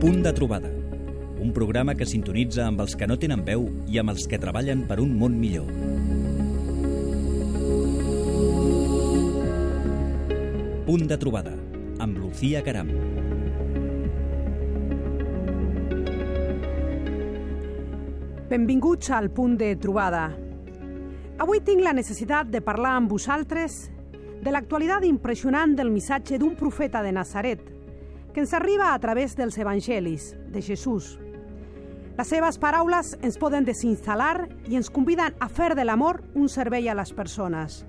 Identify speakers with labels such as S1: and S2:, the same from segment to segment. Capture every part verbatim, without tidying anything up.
S1: Punt de trobada, un programa que sintonitza amb els que no tenen veu i amb els que treballen per un món millor. Punt de trobada, amb Lucía Caram.
S2: Benvinguts al Punt de trobada. Avui tinc la necessitat de parlar amb vosaltres de l'actualitat impressionant del missatge d'un profeta de Nazaret, que ens arriba a través dels evangelis de Jesús. Les seves paraules ens poden desinstal·lar i ens conviden a fer de l'amor un servei a les persones.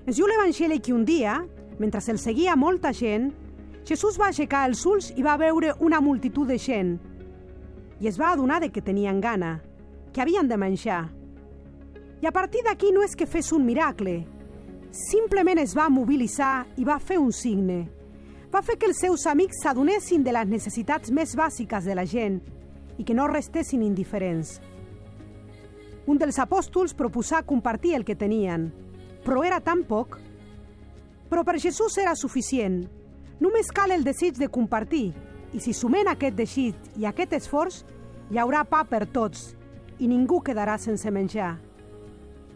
S2: Ens diu l'Evangeli que un dia, mentre el seguia molta gent, Jesús va aixecar els ulls i va veure una multitud de gent i es va adonar de que tenien gana, que havien de menjar. I a partir d'aquí no és que fes un miracle, simplement es va mobilitzar i va fer un signe. Va fer que els seus amics s'adonessin de les necessitats més bàsiques de la gent i que no restessin indiferents. Un dels apòstols proposà compartir el que tenien, però era tan poc. Però per Jesús era suficient. Només cal el desig de compartir, i si sumem aquest desig i aquest esforç, hi haurà pa per tots i ningú quedarà sense menjar.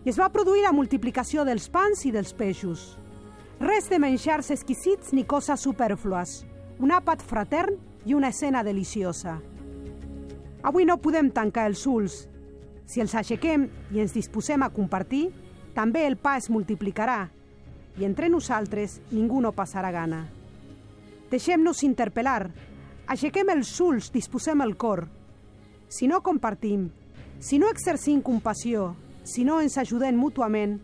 S2: I es va produir la multiplicació dels pans i dels peixos. Res de menjars exquisits ni coses supèrflues, un àpat fratern i una escena deliciosa. Avui no podem tancar els ulls. Si els aixequem i ens disposem a compartir, també el pa es multiplicarà i entre nosaltres ningú no passarà gana. Deixem-nos interpel·lar, aixequem els ulls, disposem el cor. Si no compartim, si no exercim compassió, si no ens ajudem mútuament,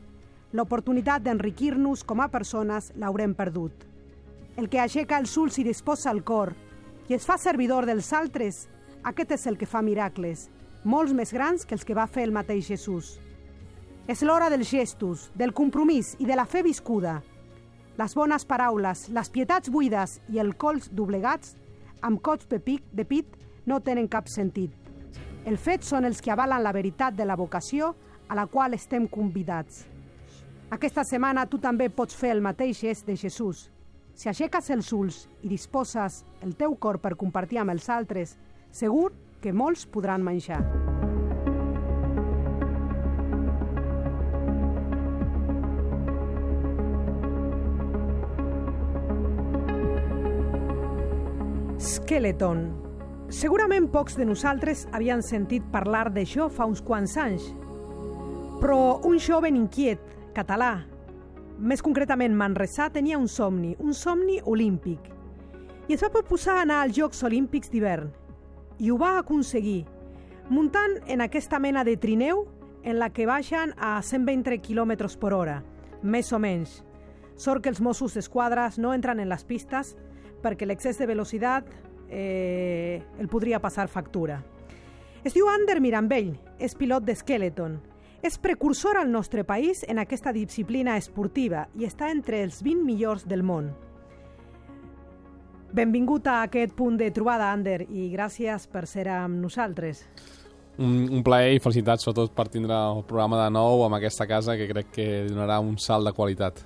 S2: l'oportunitat d'enriquir-nos com a persones l'haurem perdut. El que aixeca els ulls i disposa el cor i es fa servidor dels altres, aquest és el que fa miracles, molts més grans que els que va fer el mateix Jesús. És l'hora dels gestos, del compromís i de la fe viscuda. Les bones paraules, les pietats buides i el cols doblegats, amb cops de pit, de pit, no tenen cap sentit. Els fets són els que avalen la veritat de la vocació a la qual estem convidats. Aquesta setmana tu també pots fer el mateix gest de Jesús. Si aixeques els ulls i disposes el teu cor per compartir amb els altres, segur que molts podran menjar. Skeleton. Segurament pocs de nosaltres havien sentit parlar d'això fa uns quants anys, però un jove inquiet, català, més concretament manresà, tenia un somni, un somni olímpic, i es va proposar anar als Jocs Olímpics d'hivern, i ho va aconseguir, muntant en aquesta mena de trineu en la que baixen a cent vint quilòmetres per hora, més o menys. Sort que els Mossos d'Esquadra no entren en les pistes perquè l'excés de velocitat eh, el podria passar factura. Es diu Ander Mirambell, és pilot de Skeleton. És precursor al nostre país en aquesta disciplina esportiva i està entre els vint millors del món. Benvingut a aquest punt de trobada, Ander, i gràcies per ser amb nosaltres.
S3: Un, un plaer i felicitats, sobretot per tindre el programa de nou amb aquesta casa, que crec que donarà un salt de qualitat.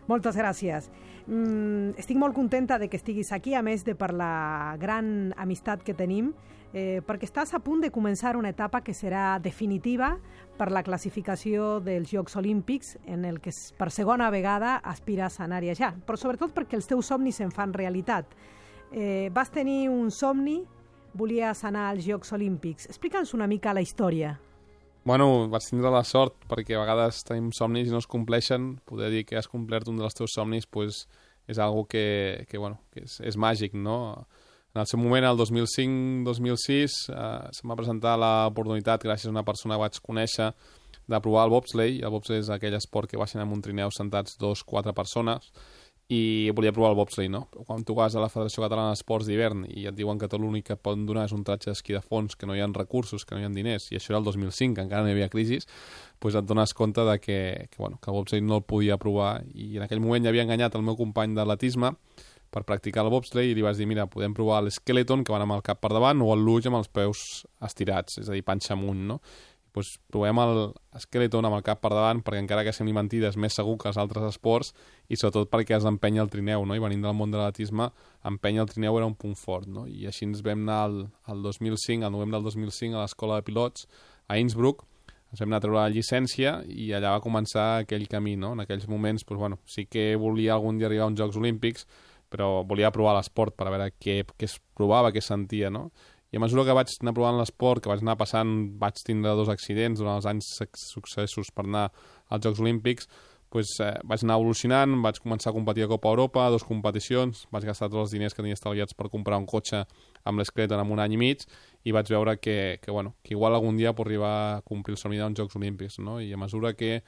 S2: Moltes gràcies. Mm, estic molt contenta de que estiguis aquí, a més de per la gran amistat que tenim, eh, perquè estàs a punt de començar una etapa que serà definitiva per la classificació dels Jocs Olímpics, en el que per segona vegada aspires a anar-hi allà, però sobretot perquè els teus somnis se'n fan realitat. Eh, vas tenir un somni, volies anar als Jocs Olímpics. Explica'ns una mica la història.
S3: Bueno, vaig tindre la sort, perquè a vegades tenim somnis i no es compleixen. Poder dir que has complert un dels teus somnis pues, és algo que, que, bueno, que és, és màgic, no? En el seu moment, el dos mil cinc dos mil sis, eh, se'm va presentar l'oportunitat, gràcies a una persona que vaig conèixer, de provar el bobsleigh. El bobsleigh és aquell esport que baixen en un trineu sentats dos, quatre persones, i volia provar el bobsleigh, no? Però quan tu vas a la Federació Catalana d'Esports d'Hivern i et diuen que tot l'únic que et poden donar és un tratge d'esquí de fons, que no hi ha recursos, que no hi ha diners, i això era el dos mil cinc, que encara no hi havia crisi, doncs et dones compte de que, que, bueno, que el bobsleigh no el podia provar, i en aquell moment ja havia enganyat el meu company d'atletisme per practicar el bobsleigh i li vaig dir, mira, podem provar l'Skeleton, que van amb el cap per davant, o el luge amb els peus estirats, és a dir, panxa amunt, no? doncs provem el Skeleton amb el cap per davant, perquè encara que sembli mentida és més segur que els altres esports, i sobretot perquè has d'empènyer el trineu, no? I venint del món de l'atletisme, empènyer el trineu era un punt fort, no? I així ens vam anar el, el dos mil cinc, al novembre del dos mil cinc, a l'escola de pilots a Innsbruck, ens vam anar a treure la llicència i allà va començar aquell camí, no? En aquells moments, doncs, bueno, sí que volia algun dia arribar a uns Jocs Olímpics, però volia provar l'esport per a veure què, què es provava, què es sentia, no? I a mesura que vaig anar provant l'esport, que vaig anar passant, vaig tindre dos accidents durant els anys successos per anar als Jocs Olímpics, doncs, eh, vaig anar evolucionant, vaig començar a competir a Copa Europa, dues competicions, vaig gastar tots els diners que tenia estalviats per comprar un cotxe amb l'Skeleton en un any i mig, i vaig veure que, que, bueno, que igual algun dia pot arribar a complir el somni d'uns Jocs Olímpics, no? I a mesura que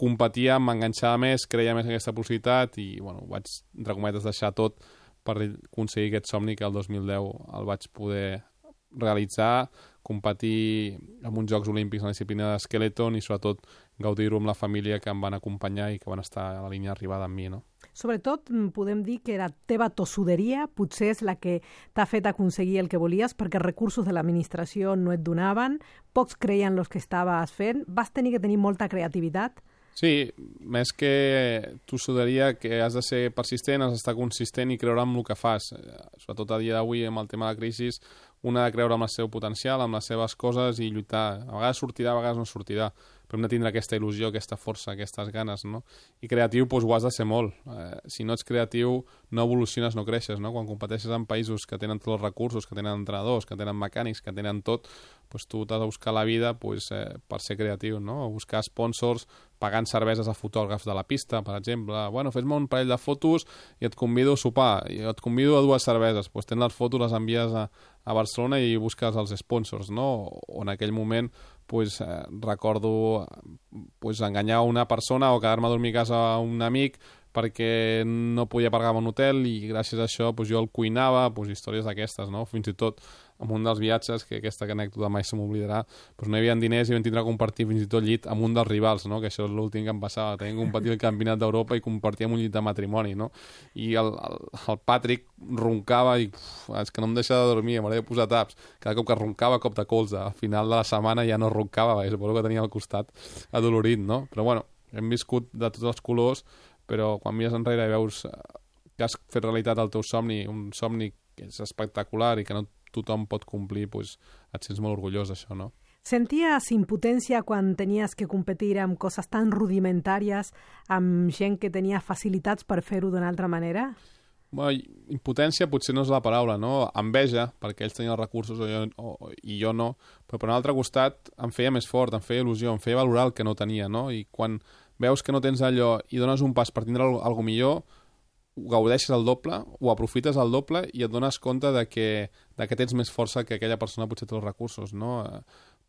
S3: competia, m'enganxava més, creia més en aquesta possibilitat i, bueno, vaig, entre cometes, deixar tot per aconseguir aquest somni que el dos mil deu el vaig poder realitzar, competir en uns Jocs Olímpics en la disciplina d'Skeleton i sobretot gaudir-ho amb la família que em van acompanyar i que van estar a la línia d'arribada amb mi, no?
S2: Sobretot podem dir que la teva tossuderia potser és la que t'ha fet aconseguir el que volies, perquè els recursos de l'administració no et donaven, pocs creien els que estaves fent, vas tenir que tenir molta creativitat.
S3: Sí, més que tossuderia, que has de ser persistent, has d'estar consistent i creure en el que fas. Sobretot a dia d'avui, amb el tema de la crisi, un ha de creure en el seu potencial, amb les seves coses i lluitar. A vegades sortirà, a vegades no sortirà, però hem de tindre aquesta il·lusió, aquesta força, aquestes ganes, no? I creatiu, doncs, ho has de ser molt. Eh, si no ets creatiu, no evoluciones, no creixes, no? Quan competeixes en països que tenen tots els recursos, que tenen entrenadors, que tenen mecànics, que tenen tot, doncs tu t'has de buscar la vida doncs, eh, per ser creatiu, no? Buscar sponsors, pagant cerveses a fotògrafs de la pista, per exemple. Bueno, fes-me un parell de fotos i et convido a sopar, i et convido a dues cerveses. Doncs tens les fotos, les envies a, a Barcelona i busques els sponsors, no? O en aquell moment pues, eh, recordo pues, enganyar una persona o quedar-me a dormir a casa a un amic perquè no podia pagar un hotel i gràcies a això pues, jo el cuinava, pues, històries d'aquestes, no? Fins i tot en un dels viatges, que aquesta anècdota mai se m'oblidarà, pues, no hi havia diners i vam tindre a compartir fins i tot llit amb un dels rivals, no? Que això és l'últim que em passava, tenim que competir el campionat d'Europa i compartíem un llit de matrimoni, no? I el, el, el Patrick roncava i uf, és que no em deixa de dormir, m'hauré de posar taps. Cada cop que roncava, cop de colze. Al final de la setmana ja no roncava, perquè suposo que tenia al costat adolorit, no? Però bueno, hem viscut de tots els colors, però quan mires enrere i veus que has fet realitat el teu somni, un somni que és espectacular i que no tothom pot complir, doncs et sents molt orgullós d'això, no?
S2: Senties impotència quan tenies que competir amb coses tan rudimentàries, amb gent que tenia facilitats per fer-ho d'una altra manera?
S3: Bueno, impotència potser no és la paraula, no? Enveja, perquè ells tenien els recursos o jo, o, i jo no, però per un altre costat em feia més fort, em feia il·lusió, em feia valorar el que no tenia, no? I quan veus que no tens allò i dones un pas per tindre alguna millor, ho gaudeixes al doble, ho aprofites al doble i et dones compte de que, de que tens més força que aquella persona potser té els recursos, no?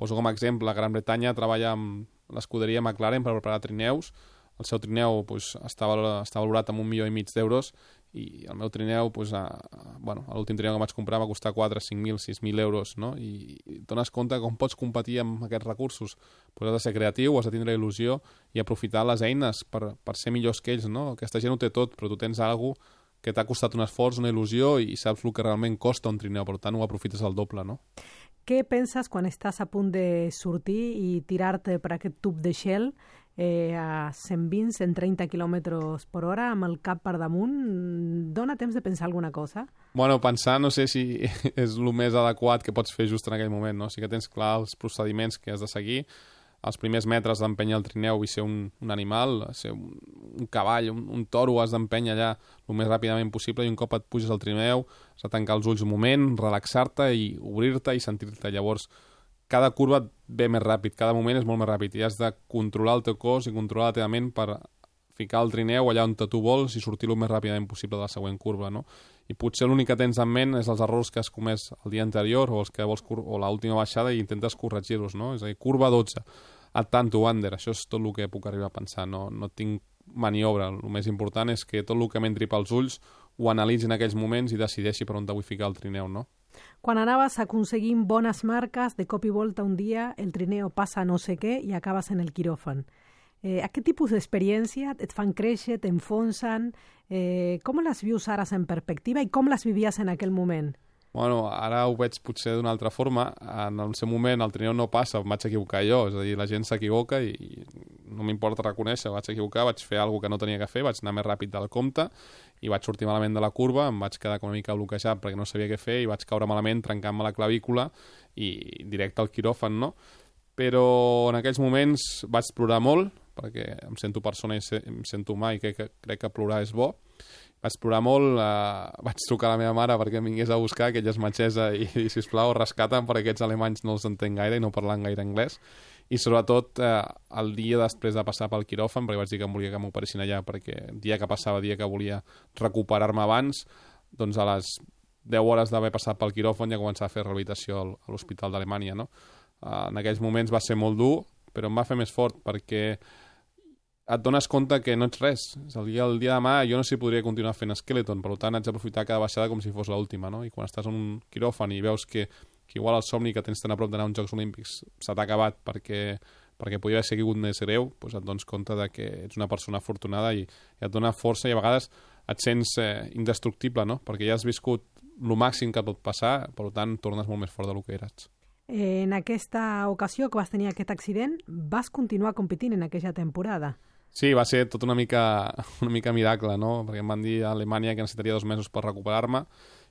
S3: Poso com a exemple, la Gran Bretanya treballa amb l'escuderia McLaren per preparar trineus, el seu trineu pues, està, valorat, està valorat amb un milió i mig d'euros i el meu trineu, pues, a, a, bueno, l'últim trineu que vaig comprar va costar quatre, cinc mil, sis mil euros, no? I, i et dones compte com pots competir amb aquests recursos. Pues has de ser creatiu, has de tindre il·lusió i aprofitar les eines per, per ser millors que ells, no? Aquesta gent ho té tot, però tu tens alguna cosa que t'ha costat un esforç, una il·lusió i saps el que realment costa un trineu, per tant ho aprofites al doble, no?
S2: Què penses quan estàs a punt de sortir i tirar-te per aquest tub de Shell eh, a cent vint a cent trenta quilòmetres per hora amb el cap per damunt? Dóna temps de pensar alguna cosa? Bueno,
S3: pensar no sé si és el més adequat que pots fer just en aquell moment, no? Sí que tens clar els procediments que has de seguir. Els primers metres d'empènyer el trineu i ser un, un animal, ser un, un cavall, un, un toro, has d'empènyer allà el més ràpidament possible i un cop et puges al trineu has de tancar els ulls un moment, relaxar-te i obrir-te i sentir-te. Llavors, cada curva et ve més ràpid, cada moment és molt més ràpid i has de controlar el teu cos i controlar la teva ment per ficar el trineu allà on tu vols i sortir el més ràpidament possible de la següent curva, no? I potser l'únic que tens en ment és els errors que has comès el dia anterior o els que vols o l'última baixada i intentes corregir-los, no? És a dir, curva dotze, at tanto under, això és tot el que puc arribar a pensar, no, no tinc maniobra, el més important és que tot el que m'entri pels ulls ho analitzi en aquells moments i decideixi per on vull ficar el trineu, no?
S2: Quan anaves aconseguint bones marques, de cop i volta un dia el trineu passa no sé què i acabes en el quiròfan. Eh, aquest tipus d'experiència et fan créixer, t'enfonsen. Eh, com les vius ara en perspectiva i com les vivies en aquell moment?
S3: Bueno, ara ho veig potser d'una altra forma. En el seu moment el trineu no passa, em vaig equivocar jo. És a dir, la gent s'equivoca i, i no m'importa reconèixer, vaig equivocar, vaig fer alguna que no tenia que fer, vaig anar més ràpid del compte i vaig sortir malament de la curva, em vaig quedar una mica bloquejat perquè no sabia què fer i vaig caure malament trencant-me la clavícula i directe al quiròfan, no? Però en aquells moments vaig plorar molt, perquè em sento persona i em sento humà i crec que, crec que plorar és bo. Vaig plorar molt, eh, vaig trucar a la meva mare perquè em vingués a buscar, que ella és metgessa, i, i sisplau, rescata'm perquè aquests alemanys no els entenc gaire i no parlen gaire anglès. I sobretot eh, el dia després de passar pel quiròfan, perquè vaig dir que em volia que m'operessin allà, perquè el dia que passava, el dia que volia recuperar-me abans, doncs a les deu hores d'haver passat pel quiròfan ja començava a fer rehabilitació a l'Hospital d'Alemanya, no? Eh, en aquells moments va ser molt dur, però em va fer més fort, perquè et dones compte que no ets res. El dia, el dia de demà jo no sé si podria continuar fent Skeleton, per tant haig d'aprofitar cada baixada com si fos l'última, no? I quan estàs en un quiròfan i veus que, que igual el somni que tens tan a prop d'anar a uns Jocs Olímpics se t'ha acabat perquè, perquè podia haver sigut més greu, doncs et dones compte de que ets una persona afortunada i, i et dona força i a vegades et sents eh, indestructible, no? Perquè ja has viscut el màxim que pot passar, per tant tornes molt més fort del que eres.
S2: En aquesta ocasió que vas tenir aquest accident, vas continuar competint en aquella temporada.
S3: Sí, va ser tot una mica, una mica miracle, no? Perquè em van dir a Alemanya que necessitaria dos mesos per recuperar-me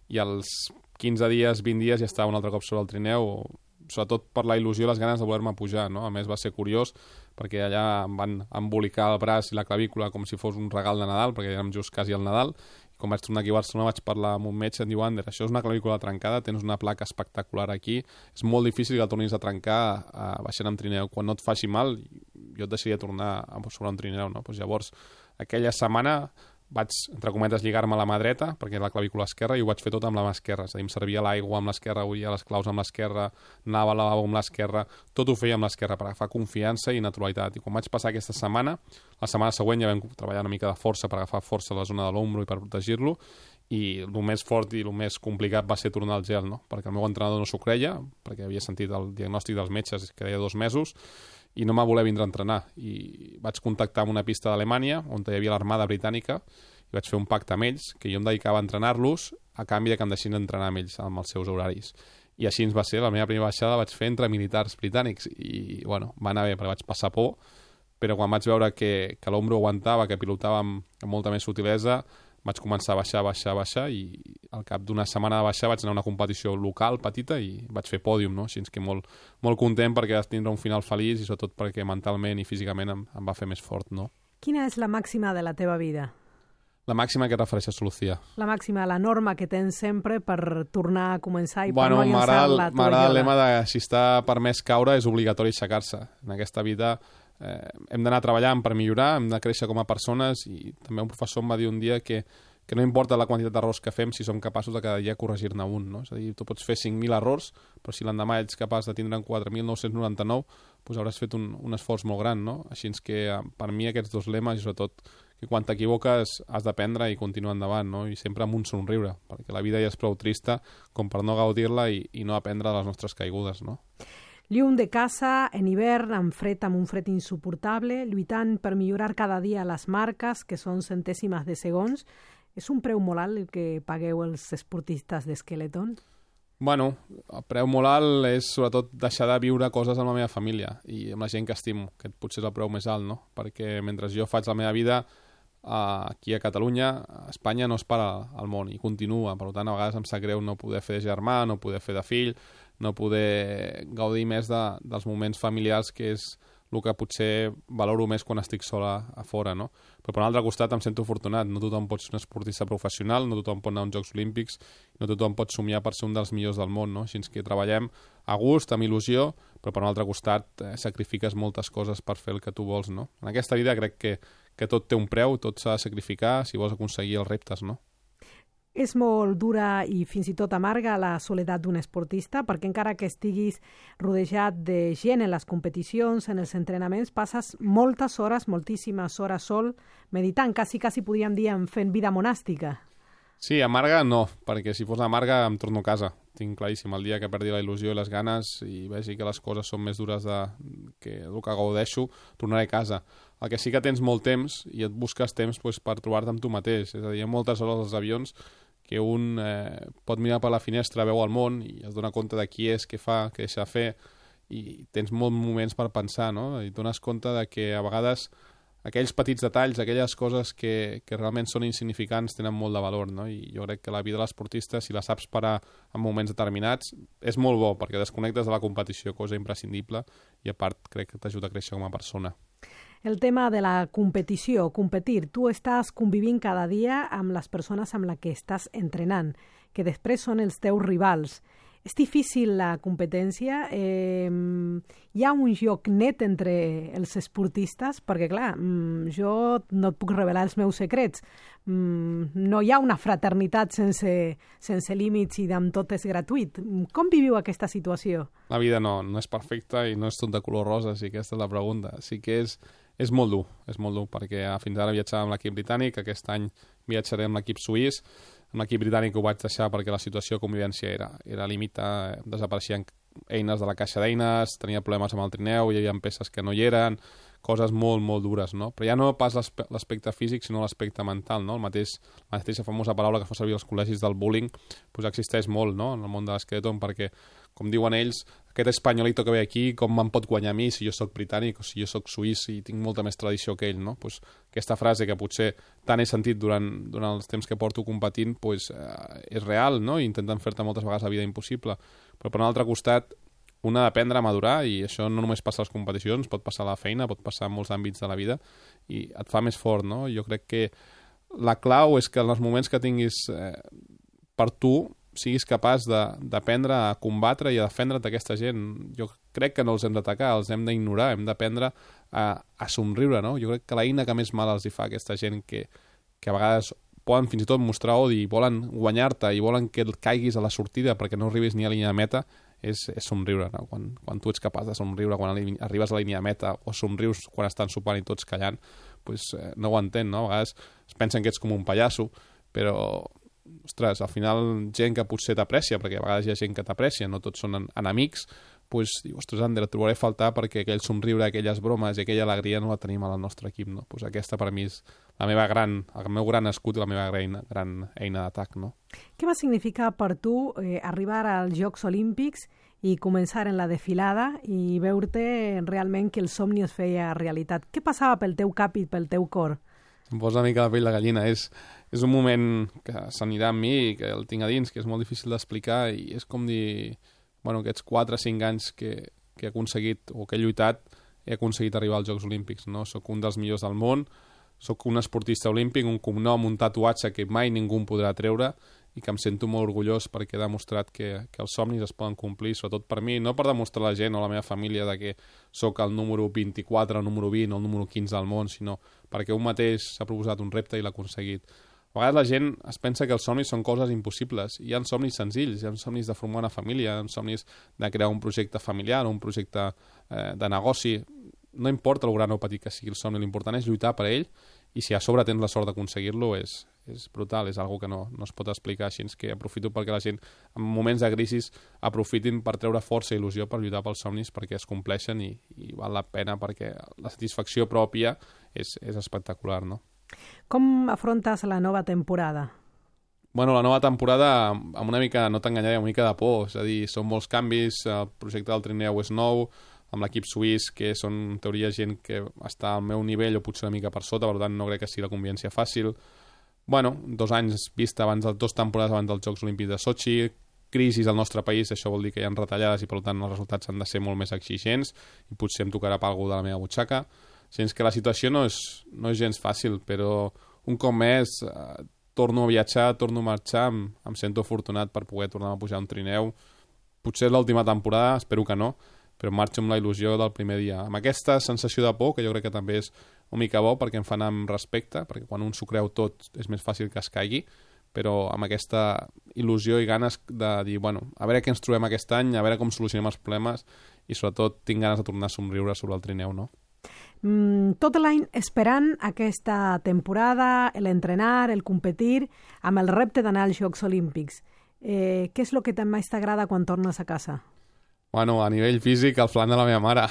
S3: i als quinze dies, vint dies ja estava un altre cop sobre el trineu, sobretot per la il·lusió i les ganes de voler-me pujar, no? A més va ser curiós perquè allà em van embolicar el braç i la clavícula com si fos un regal de Nadal, perquè érem just quasi al Nadal. I quan vaig tornar aquí a Barcelona vaig parlar amb un metge i em diu, Ander, això és una clavícula trencada, tens una placa espectacular aquí, és molt difícil que el tornis a trencar a, baixant amb trineu. Quan no et faci mal, jo et deixaria tornar a sobre un trineu, no? Pues llavors, aquella setmana vaig, entre cometes, lligar-me la mà dreta, perquè era la clavícula esquerra, i ho vaig fer tot amb la mà esquerra. És a dir, em servia l'aigua amb l'esquerra, oïa les claus amb l'esquerra, anava al lavabo amb l'esquerra, tot ho feia amb l'esquerra per agafar confiança i naturalitat. I quan vaig passar aquesta setmana, la setmana següent ja vam treballar una mica de força per agafar força a la zona de l'ombro i per protegir-lo, i el més fort i el més complicat va ser tornar al gel, no? Perquè el meu entrenador no s'ho creia, perquè havia sentit el diagnòstic dels metges que deia dos mesos, i no m'ha voler vindre a entrenar. I vaig contactar amb una pista d'Alemanya, on hi havia l'armada britànica, i vaig fer un pacte amb ells, que jo em dedicava a entrenar-los a canvi de que em deixin entrenar amb ells, amb els seus horaris. I així ens va ser, la meva primera baixada la vaig fer entre militars britànics, i bueno, va anar bé, perquè vaig passar por, però quan vaig veure que, que l'ombro aguantava, que pilotava amb, amb molta més sutilesa, vaig començar a baixar, baixar, baixar, i al cap d'una setmana de baixar vaig anar a una competició local petita i vaig fer pòdium, no? Així que molt, molt content perquè vas tindre un final feliç i sobretot perquè mentalment i físicament em, em va fer més fort, no?
S2: Quina és la màxima de la teva vida?
S3: La màxima que et refereixes, Lucía?
S2: La màxima, la norma que tens sempre per tornar a començar i
S3: bueno,
S2: per no llançar-la.
S3: M'agrada el lema de si està permès caure és obligatori aixecar-se. En aquesta vida eh, hem d'anar treballant per millorar, hem de créixer com a persones, i també un professor em va dir un dia que, que no importa la quantitat d'errors que fem si som capaços de cada dia corregir-ne un, no? És a dir, tu pots fer cinc mil errors, però si l'endemà ets capaç de tindre'n quatre mil nou-cents noranta-nou, doncs hauràs fet un, un esforç molt gran, no? Així que per mi aquests dos lemes, i sobretot que quan t'equivoques has d'aprendre i continuar endavant, no? I sempre amb un somriure, perquè la vida ja és prou trista com per no gaudir-la i, i no aprendre de les nostres caigudes, no?
S2: Llum de casa, en hivern, amb fred, amb un fred insuportable, lluitant per millorar cada dia les marques, que són centèsimes de segons. És un preu molt alt el que pagueu els esportistes d'Skeleton?
S3: Bueno, el preu molt alt és sobretot deixar de viure coses amb la meva família i amb la gent que estimo, que potser és el preu més alt, no? Perquè mentre jo faig la meva vida aquí a Catalunya, a Espanya no es para el món i continua. Per tant, a vegades em sap greu no poder fer de germà, no poder fer de fill, no poder gaudir més de, dels moments familiars, que és el que potser valoro més quan estic sola a fora, no? Però per un altre costat em sento afortunat. No tothom pot ser un esportista professional, no tothom pot anar a uns Jocs Olímpics, no tothom pot somiar per ser un dels millors del món, no? Així que treballem a gust, amb il·lusió, però per un altre costat eh, sacrifiques moltes coses per fer el que tu vols, no? En aquesta vida crec que, que tot té un preu, tot s'ha de sacrificar si vols aconseguir els reptes, no?
S2: És molt dura i fins i tot amarga la soledat d'un esportista, perquè encara que estiguis rodejat de gent en les competicions, en els entrenaments, passes moltes hores, moltíssimes hores sol, meditant, quasi, quasi podríem dir, fent vida monàstica.
S3: Sí, amarga no, perquè si fos amarga em torno a casa. Tinc claríssim, el dia que perdi la il·lusió i les ganes i vegi que les coses són més dures de, que el que gaudeixo, tornaré a casa. El que sí que tens molt temps i et busques temps pues, per trobar-te amb tu mateix. És a dir, hi ha moltes hores als avions que un eh, pot mirar per la finestra, veu el món i es dona compte de qui és, què fa, què deixa de fer, i tens molts moments per pensar, no? I et dones compte de que a vegades aquells petits detalls, aquelles coses que, que realment són insignificants tenen molt de valor, no? I jo crec que la vida de l'esportista, si la saps parar en moments determinats, és molt bo, perquè desconnectes de la competició, cosa imprescindible, i a part crec que t'ajuda a créixer com a persona.
S2: El tema de la competició, competir. Tu estàs convivint cada dia amb les persones amb les que estàs entrenant, que després són els teus rivals. És difícil la competència? Eh, hi ha un joc net entre els esportistes? Perquè, clar, jo no et puc revelar els meus secrets. No hi ha una fraternitat sense, sense límits i amb tot és gratuït. Com viviu aquesta situació?
S3: La vida no, no és perfecta i no és tot de color rosa, si aquesta és la pregunta. Sí que és, és molt dur, és molt dur, perquè fins ara viatjava amb l'equip britànic, aquest any viatjaré amb l'equip suís. Amb l'equip britànic ho vaig deixar perquè la situació de convivència era, era límita, desapareixien eines de la caixa d'eines, tenia problemes amb el trineu, hi havia peces que no hi eren, coses molt, molt dures, no? Però ja no pas l'aspecte físic, sinó l'aspecte mental, no? El mateix, la mateixa famosa paraula que fa servir als col·legis del bullying, doncs existeix molt, no?, en el món de l'esqueleton, perquè, com diuen ells, aquest espanyolito que ve aquí, com me'n pot guanyar a mi si jo sóc britànic o si jo sóc suís i tinc molta més tradició que ell, no? Pues aquesta frase que potser tant he sentit durant, durant els temps que porto competint, pues, eh, és real, no? I intenten fer-te moltes vegades la vida impossible. Però per un altre costat, una ha d'aprendre a madurar, i això no només passa a les competicions, pot passar a la feina, pot passar en molts àmbits de la vida, i et fa més fort, no? Jo crec que la clau és que en els moments que tinguis eh, per tu, siguis capaç d'aprendre a combatre i a defendre't d'aquesta gent. Jo crec que no els hem d'atacar, els hem d'ignorar, hem d'aprendre a, a somriure, no? Jo crec que l'eina que més mal els hi fa a aquesta gent que, que a vegades poden fins i tot mostrar odi, volen guanyar-te i volen que et caiguis a la sortida perquè no arribis ni a la línia de meta, és, és somriure, no? Quan, quan tu ets capaç de somriure quan arribes a la línia de meta o somrius quan estan sopant i tots callant, pues, eh, no ho entén, no? A vegades es pensen que ets com un pallasso, però ostres, al final gent que potser t'aprecia, perquè a vegades hi ha gent que t'aprecia, no tots són enemics, pues, diu, ostres, Ander, et trobaré a faltar perquè aquell somriure, aquelles bromes i aquella alegria no la tenim al nostre equip, no? Pues aquesta per mi és la meva gran, el meu gran escut i la meva gran, gran eina d'atac, no?
S2: Què va significar per tu eh, arribar als Jocs Olímpics i començar en la desfilada i veure realment que el somni es feia realitat? Què passava pel teu cap i pel teu cor?
S3: Em posa una mica la pell de gallina. És, és un moment que s'anirà amb mi i que el tinc a dins, que és molt difícil d'explicar, i és com dir, bueno, aquests quatre o cinc anys que, que he aconseguit o que he lluitat, he aconseguit arribar als Jocs Olímpics, no? Soc un dels millors del món, soc un esportista olímpic, un cognom, un tatuatge que mai ningú em podrà treure i que em sento molt orgullós perquè he demostrat que, que els somnis es poden complir, sobretot per mi, no per demostrar a la gent o a la meva família de que sóc el número vint-i-quatre, el número vint o el número quinze del món, sinó perquè un mateix s'ha proposat un repte i l'ha aconseguit. A vegades la gent es pensa que els somnis són coses impossibles. Hi ha somnis senzills, hi ha somnis de formar una família, hi ha somnis de crear un projecte familiar, un projecte eh, de negoci. No importa el gran o petit que sigui el somni, l'important és lluitar per ell, i si a sobre tens la sort d'aconseguir-lo és, és brutal, és algo que no, no es pot explicar, així que aprofito perquè la gent en moments de crisi aprofitin per treure força i il·lusió per lluitar pels somnis perquè es compleixen i, i val la pena perquè la satisfacció pròpia és, és espectacular, no?
S2: Com afrontes la nova temporada?
S3: Bueno, la nova temporada amb una mica, no t'enganyaré, una mica de por, és a dir, són molts canvis, el projecte del trineu és nou, amb l'equip suís, que són en teoria gent que està al meu nivell o potser una mica per sota, per tant no crec que sigui la convivència fàcil. Bueno, dos anys vista abans, dos temporades abans dels Jocs Olímpics de Sochi, crisis al nostre país, això vol dir que hi ha retallades i per tant els resultats han de ser molt més exigents i potser em tocarà per algú de la meva butxaca. Sens que la situació no és, no és gens fàcil, però un cop més eh, torno a viatjar, torno a marxar, em, em sento afortunat per poder tornar a pujar un trineu. Potser és l'última temporada, espero que no, però marxo amb la il·lusió del primer dia. Amb aquesta sensació de por, que jo crec que també és una mica bo perquè em fa anar amb respecte, perquè quan un s'ho creu tot és més fàcil que es caigui, però amb aquesta il·lusió i ganes de dir, bueno, a veure què ens trobem aquest any, a veure com solucionem els problemes i sobretot tinc ganes de tornar a somriure sobre el trineu, no?
S2: Mm, tot l'any esperant aquesta temporada, l'entrenar, el competir, amb el repte d'anar als Jocs Olímpics. Eh, què és el que més t'agrada quan tornes a casa?
S3: Bueno, a nivell físic, el flan de la meva mare.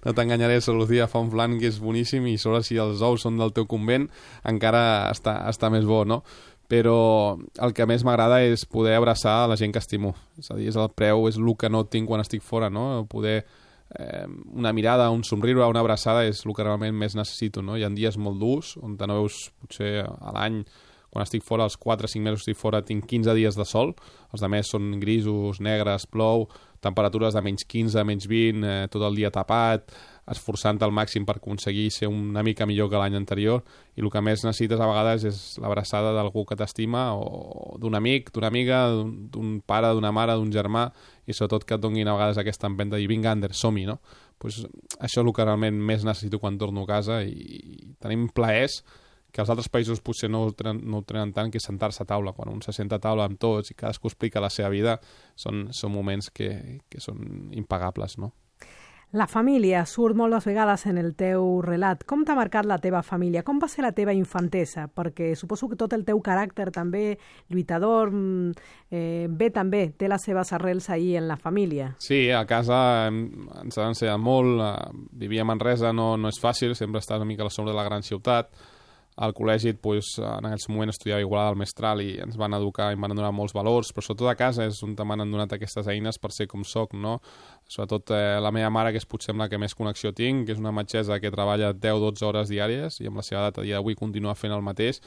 S3: No t'enganyaré, Lucía fa un flan que és boníssim i sobre si els ous són del teu convent encara està, està més bo, no? però el que més m'agrada és poder abraçar la gent que estimo. És a dir, és el preu, és el que no tinc quan estic fora, no? Poder eh, una mirada, un somriure, una abraçada és el que realment més necessito, no? Hi ha dies molt durs, on te no veus potser a l'any, quan estic fora, els quatre o cinc mesos que estic fora, tinc quinze dies de sol, els altres són grisos, negres, plou, temperatures de menys quinze, menys vint, eh, tot el dia tapat, esforçant al màxim per aconseguir ser una mica millor que l'any anterior, i el que més necessites a vegades és l'abraçada d'algú que t'estima, o d'un amic, d'una amiga, d'un pare, d'una mare, d'un germà, i sobretot que et donguin a vegades aquesta empenta i vinga, Ander, som-hi, no? Pues això és el que realment més necessito quan torno a casa, i tenim plaers que els altres països potser no ho tenen, no ho tenen tant, que sentar-se a taula. Quan un se senta a taula amb tots i cadascú explica la seva vida, són, són moments que, que són impagables, no?
S2: La família surt moltes vegades en el teu relat. Com t'ha marcat la teva família? Com va ser la teva infantesa? Perquè suposo que tot el teu caràcter també lluitador eh, ve també, té les seves arrels ahir en la família.
S3: Sí, a casa ens ha ensenyat molt. Vivir a Manresa no, no és fàcil, sempre estàs una mica a la sombra de la gran ciutat. Al col·legi, doncs, en aquell moment estudiava Igualada al Mestral i ens van educar i em van donar molts valors, però sobretot a casa és on m'han donat aquestes eines per ser com soc, no? Sobretot eh, la meva mare, que és potser amb la que més connexió tinc, que és una metgessa que treballa deu dotze hores diàries i amb la seva edat a dia d'avui continua fent el mateix,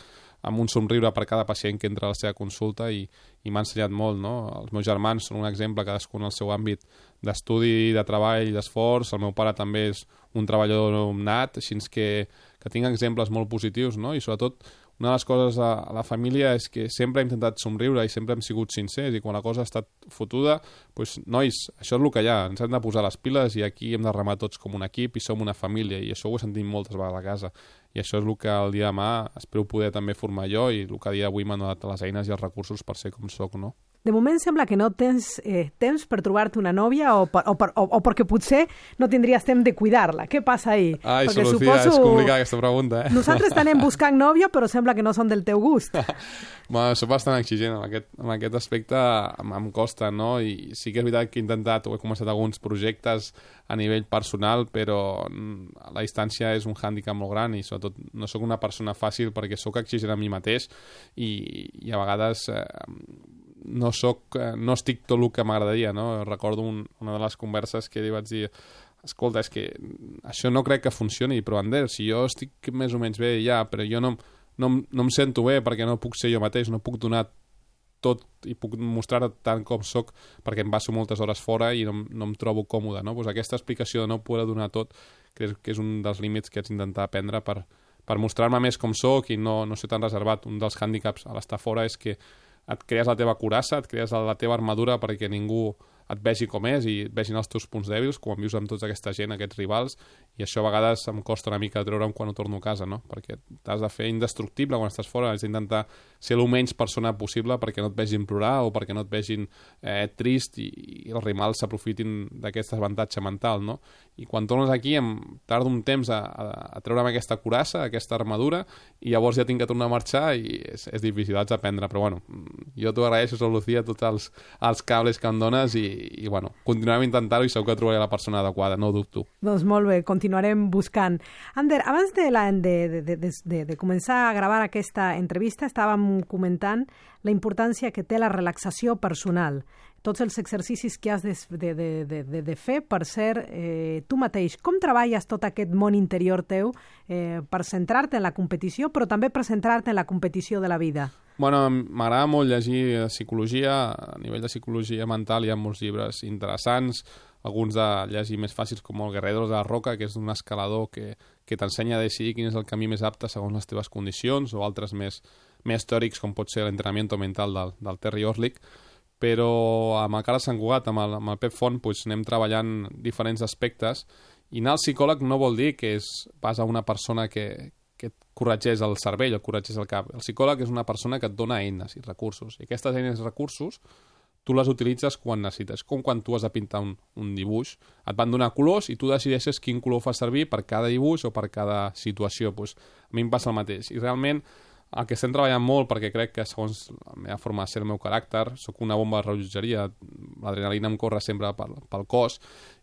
S3: amb un somriure per cada pacient que entra a la seva consulta, i, i m'ha ensenyat molt, no? Els meus germans són un exemple, cadascú en el seu àmbit d'estudi, de treball, d'esforç. El meu pare també és un treballador nat, així que, que tinc exemples molt positius, no? I sobretot una de les coses a, a la família és que sempre hem intentat somriure i sempre hem sigut sincers, i quan la cosa ha estat fotuda, doncs, nois, això és el que hi ha, ens hem de posar les piles i aquí hem de remar tots com un equip i som una família, i això ho he sentit moltes vegades a casa, i això és el que el dia de demà espero poder també formar jo, i el que a dia d'avui m'han donat les eines i els recursos per ser com soc, no?
S2: De moment sembla que no tens eh, temps per trobar-te una nòvia, o, per, o, per, o, o perquè potser no tindries temps de cuidar-la. Què passa ahí?
S3: Ai,
S2: perquè
S3: Solucia,
S2: suposo...
S3: és complicada aquesta pregunta, eh?
S2: Nosaltres tenem buscant nòvia, però sembla que no són del teu gust.
S3: Bueno, soc bastant exigent en aquest, en aquest aspecte, em, em costa, no? I sí que és veritat que he intentat, o he començat alguns projectes a nivell personal, però la distància és un hàndicap molt gran i sobretot no sóc una persona fàcil perquè sóc exigent a mi mateix i, i a vegades eh, no, soc, no estic tot el que m'agradaria, no? Recordo un, una de les converses que li vaig dir: escolta, és que això no crec que funcioni, però Ander, si jo estic més o menys bé ja, però jo no, no, no em sento bé perquè no puc ser jo mateix, no puc donar tot i puc mostrar tant com soc perquè em passo moltes hores fora i no, no em trobo còmode, no? Pues aquesta explicació de no poder donar tot crec que és un dels límits que haig d'intentar aprendre per, per mostrar-me més com soc i no, no ser tan reservat. Un dels hàndicaps a l'estar fora és que et crees la teva coraça, et crees la teva armadura perquè ningú et vegi com és i et vegin els teus punts dèbils, quan vius amb tota aquesta gent, aquests rivals, i això a vegades em costa una mica treure'm quan ho torno a casa, no? Perquè t'has de fer indestructible quan estàs fora, has d'intentar ser el menys persona possible perquè no et vegin plorar o perquè no et vegin eh, trist i, i els rivals s'aprofitin d'aquest avantatge mental, no? I quan tornes aquí em tardo un temps a, a, a treure'm aquesta coraça, aquesta armadura, i llavors ja tinc que tornar a marxar i és, és difícil, haig d'aprendre, però bueno, jo t'ho agraeixo, Lucía, tots els, els cables que em dones i, i bueno, continuarem intentant-ho i segur que trobaré la persona adequada, no ho dubto.
S2: Doncs molt bé, continuarem buscant. Ander, abans de, la, de, de, de, de, de començar a gravar aquesta entrevista estàvem comentant la importància que té la relaxació personal, tots els exercicis que has de, de, de, de, de fer per ser eh, tu mateix. Com treballes tot aquest món interior teu eh, per centrar-te en la competició, però també per centrar-te en la competició de la vida?
S3: Bueno, m'agrada molt llegir psicologia. A nivell de psicologia mental hi ha molts llibres interessants, alguns de llegir més fàcils com el Guerrero de la Roca, que és un escalador que, que t'ensenya a decidir quin és el camí més apte segons les teves condicions, o altres més, més teòrics com pot ser l'entrenament mental del, del Terry Orlick. Però amb el Carles Sant Cugat, amb el, amb el Pep Font, doncs anem treballant diferents aspectes, i anar al psicòleg no vol dir que és vas a una persona que, que et corregeix el cervell, el corregeix el cap. El psicòleg és una persona que et dona eines i recursos, i aquestes eines i recursos tu les utilitzes quan necessites, com quan tu has de pintar un, un dibuix. Et van donar colors i tu decideixes quin color fa servir per cada dibuix o per cada situació. Pues, a mi em passa el mateix. I realment el que estem treballant molt, perquè crec que segons la meva forma de ser, el meu caràcter, sóc una bomba de rellotgeria, l'adrenalina em corre sempre pel, pel cos,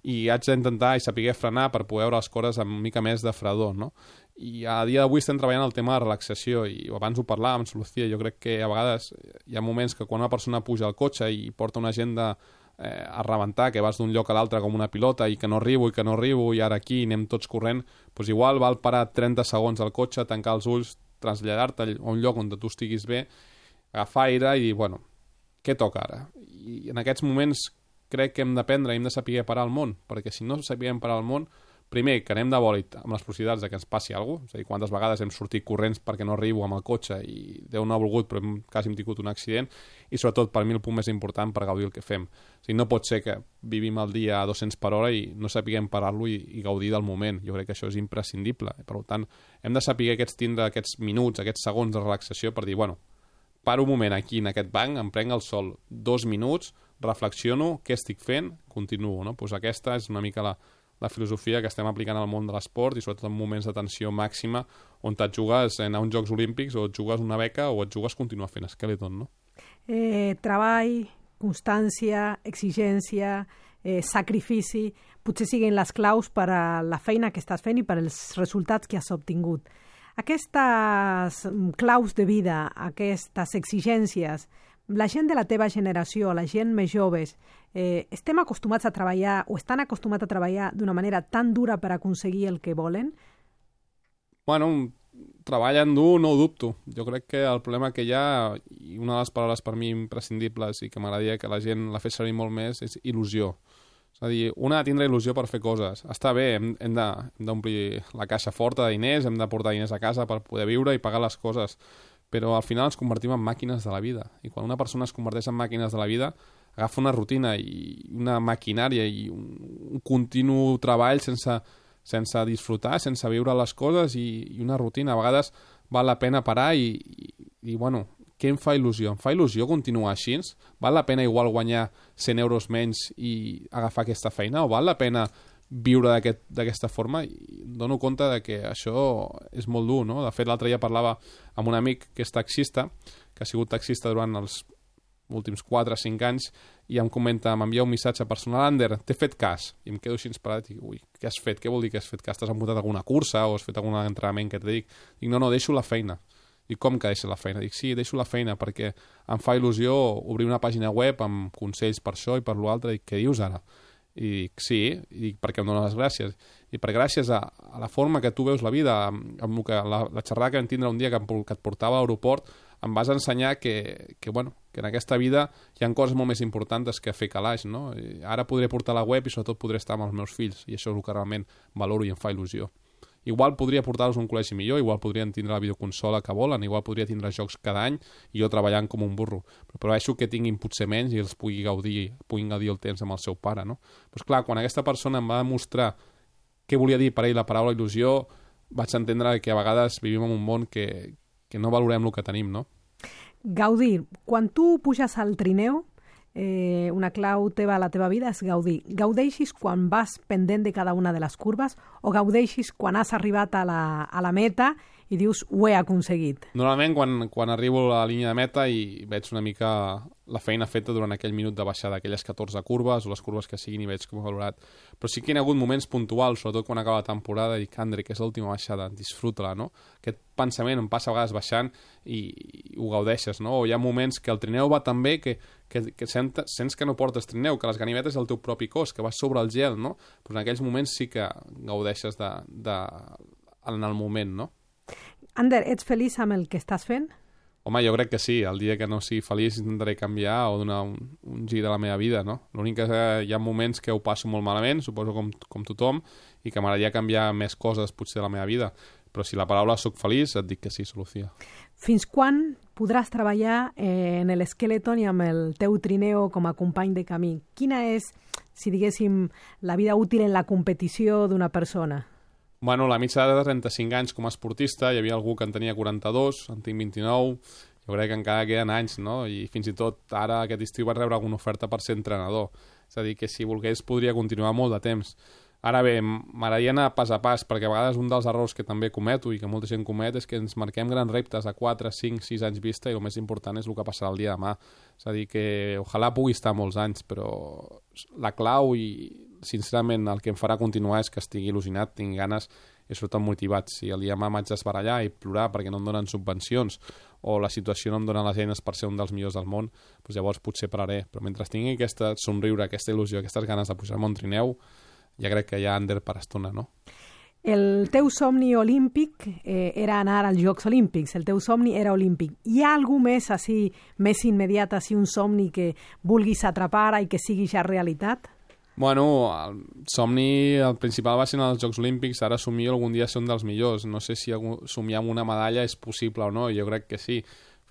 S3: i haig d'intentar i saber frenar per poder veure les coses amb una mica més de fredor, no? I a dia d'avui estem treballant el tema de relaxació, i abans ho parlàvem, Solucia, jo crec que a vegades hi ha moments que quan una persona puja al cotxe i porta una agenda eh, a rebentar, que vas d'un lloc a l'altre com una pilota i que no arribo i que no arribo i ara aquí anem tots corrent, doncs igual val parar trenta segons al cotxe, tancar els ulls, traslladar-te a un lloc on tu estiguis bé, agafar aire i dir, bueno, què toca ara? I en aquests moments crec que hem d'aprendre, hem de saber parar el món, perquè si no sabem parar el món, primer, que anem de bòlit amb les possibilitats de que ens passi alguna cosa, és a dir, quantes vegades hem sortit corrents perquè no arribo amb el cotxe i Déu no ha volgut, però hem, quasi hem tingut un accident, i sobretot, per mi, el punt més important per gaudir el que fem. O sigui, no pot ser que vivim el dia a dos-cents per hora i no sapiguem parar-lo i, i gaudir del moment. Jo crec que això és imprescindible. Per tant, hem de saber aquests, tindre aquests minuts, aquests segons de relaxació per dir, bueno, paro un moment aquí en aquest banc, em prenc el sol dos minuts, reflexiono, què estic fent, continuo. No? Pues aquesta és una mica la, la filosofia que estem aplicant al món de l'esport i sobretot en moments de tensió màxima on et jugues a uns Jocs Olímpics o et jugues una beca o et jugues a continuar fent Skeleton, no?
S2: Eh, treball, constància, exigència, eh, sacrifici, potser siguin les claus per a la feina que estàs fent i per als resultats que has obtingut. Aquestes claus de vida, aquestes exigències, la gent de la teva generació, la gent més joves, eh, estem acostumats a treballar o estan acostumats a treballar d'una manera tan dura per aconseguir el que volen?
S3: Bueno, treballen dur no ho dubto. Jo crec que el problema que hi ha, i una de les paraules per mi imprescindibles i que m'agradaria que la gent la fes servir molt més, és il·lusió. És a dir, una ha de tindre il·lusió per fer coses. Està bé, hem, hem d'omplir la caixa forta de diners, hem de portar diners a casa per poder viure i pagar les coses, però al final ens convertim en màquines de la vida. I quan una persona es converteix en màquines de la vida, agafa una rutina i una maquinària i un, un continu treball sense, sense disfrutar, sense viure les coses i, i una rutina. A vegades val la pena parar i, i, i bueno, què em fa il·lusió? Em fa il·lusió continuar així? Val la pena igual guanyar cent euros menys i agafar aquesta feina? O val la pena viure d'aquesta aquest, forma? I em dono compte de que això és molt dur, no? De fet, l'altre dia parlava amb un amic que és taxista, que ha sigut taxista durant els últims quatre o cinc anys, i em comenta, m'envia un missatge personal, Ander, t'he fet cas. I em quedo així parat i dic, ui, què has fet? Què vol dir que has fet cas? T'has apuntat a alguna cursa o has fet algun entrenament que et dic? Dic, no, no, deixo la feina. I com que deixes la feina? Dic, sí, deixo la feina perquè em fa il·lusió obrir una pàgina web amb consells per això i per l'altre. Dic, què dius ara? I dic, sí, i dic, perquè em dones les gràcies. I per gràcies a, a la forma que tu veus la vida, amb, amb que, la, la xerrada que vam tindre un dia que, em, que et portava a l'aeroport, em vas ensenyar que, que, bueno, que en aquesta vida hi ha coses molt més importants que fer calaix, no? I ara podré portar la web i sobretot podré estar amb els meus fills, i això és el que realment valoro i em fa il·lusió. Igual podria portar-los a un col·legi millor, igual podrien tindre la videoconsola que volen, igual podria tindre jocs cada any i jo treballant com un burro. Però prefereixo que tinguin potser menys i els pugui gaudir, puguin gaudir el temps amb el seu pare, no? Però clar, quan aquesta persona em va demostrar què volia dir per ell la paraula il·lusió, vaig entendre que a vegades vivim en un món que, que no valorem el que tenim, no?
S2: Gaudir. Quan tu puges al trineu, eh, una clau teva a la teva vida és gaudir. Gaudeixis quan vas pendent de cada una de les curves o gaudeixis quan has arribat a la, a la meta i dius, ho he aconseguit?
S3: Normalment, quan, quan arribo a la línia de meta i veig una mica la feina feta durant aquell minut de baixada, aquelles catorze curves o les curves que siguin i veig com he valorat. Però sí que hi ha hagut moments puntuals, sobretot quan acaba la temporada, i dic, Andre, que és l'última baixada, disfruta-la, no? Aquest pensament em passa a vegades baixant i, i ho gaudeixes, no? O hi ha moments que el trineu va tan bé que, que, que sent, sents que no portes trineu, que les ganivetes és el teu propi cos, que vas sobre el gel, no? Però en aquells moments sí que gaudeixes de, de, en el moment, no?
S2: Ander, ets feliç amb el que estàs fent?
S3: Home, jo crec que sí. El dia que no sigui feliç intentaré canviar o donar un, un gir a la meva vida, no? L'únic que hi ha moments que ho passo molt malament, suposo com, com tothom, i que m'agradaria canviar més coses potser de la meva vida. Però si la paraula soc feliç, et dic que sí, Solucia.
S2: Fins quan podràs treballar eh, en l'Skeleton i amb el teu trineo com a company de camí? Quina és, si diguéssim, la vida útil en la competició d'una persona?
S3: Bueno, la mitjana de trenta-cinc anys com a esportista, hi havia algú que en tenia quaranta-dos, en tinc vint-i-nou, jo crec que encara queden anys, no? I fins i tot ara aquest estiu vaig rebre alguna oferta per ser entrenador. És a dir, que si volgués podria continuar molt de temps. Ara bé, m'agradaria anar pas a pas, perquè a vegades un dels errors que també cometo i que molta gent comet és que ens marquem grans reptes a quatre, cinc, sis anys vista i el més important és el que passarà el dia de demà. És a dir, que ojalà pugui estar molts anys, però la clau i sincerament el que em farà continuar és que estigui il·lusionat, tingui ganes i surten motivats. Si el dia demà m'haig d'esbarallar i plorar perquè no em donen subvencions o la situació no em dona les eines per ser un dels millors del món, doncs llavors potser pararé. Però mentre tingui aquesta somriure, aquesta il·lusió, aquestes ganes de pujar-me un trineu, ja crec que hi ha Ander per estona, no?
S2: El teu somni olímpic eh, era anar als Jocs Olímpics, el teu somni era olímpic. Hi ha algú més, així, més immediat, així, un somni que vulguis atrapar i que sigui ja realitat?
S3: Bueno, el somni, el principal va ser en els Jocs Olímpics, ara somio algun dia ser un dels millors. No sé si somiar amb una medalla és possible o no, jo crec que sí.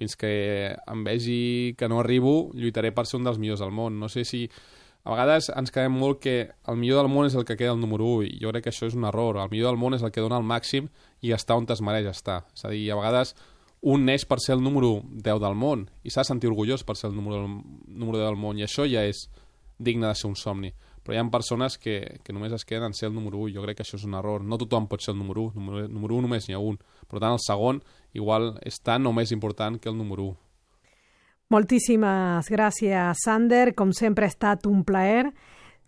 S3: Fins que em vegi que no arribo, lluitaré per ser un dels millors del món. No sé si... A vegades ens quedem molt que el millor del món és el que queda el número u, i jo crec que això és un error. El millor del món és el que dona el màxim i està on es mereix estar. És a dir, a vegades un neix per ser el número deu del món i s'ha de sentir orgullós per ser el número, número deu del món, i això ja és digne de ser un somni. Però hi ha persones que, que només es queden en ser el número u. Jo crec que això és un error. No tothom pot ser el número u. Número, número u només n'hi ha un. Per tant, el segon igual és tan o més important que el número u.
S2: Moltíssimes gràcies, Sander. Com sempre ha estat un plaer.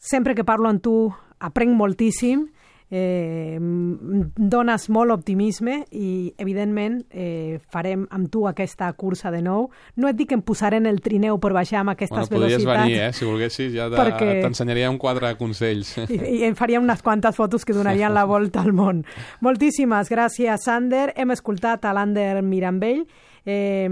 S2: Sempre que parlo amb tu aprenc moltíssim, eh, dones molt optimisme i, evidentment, eh, farem amb tu aquesta cursa de nou. No et dic que em posaré en el trineu per baixar amb aquestes
S3: bueno,
S2: velocitats.
S3: Podries venir, eh? Si volguessis, ja
S2: perquè...
S3: t'ensenyaria un quadre de consells.
S2: I, I em faria unes quantes fotos que donarien la volta al món. Moltíssimes gràcies, Sander. Hem escoltat a l'Ander Mirambell, Eh,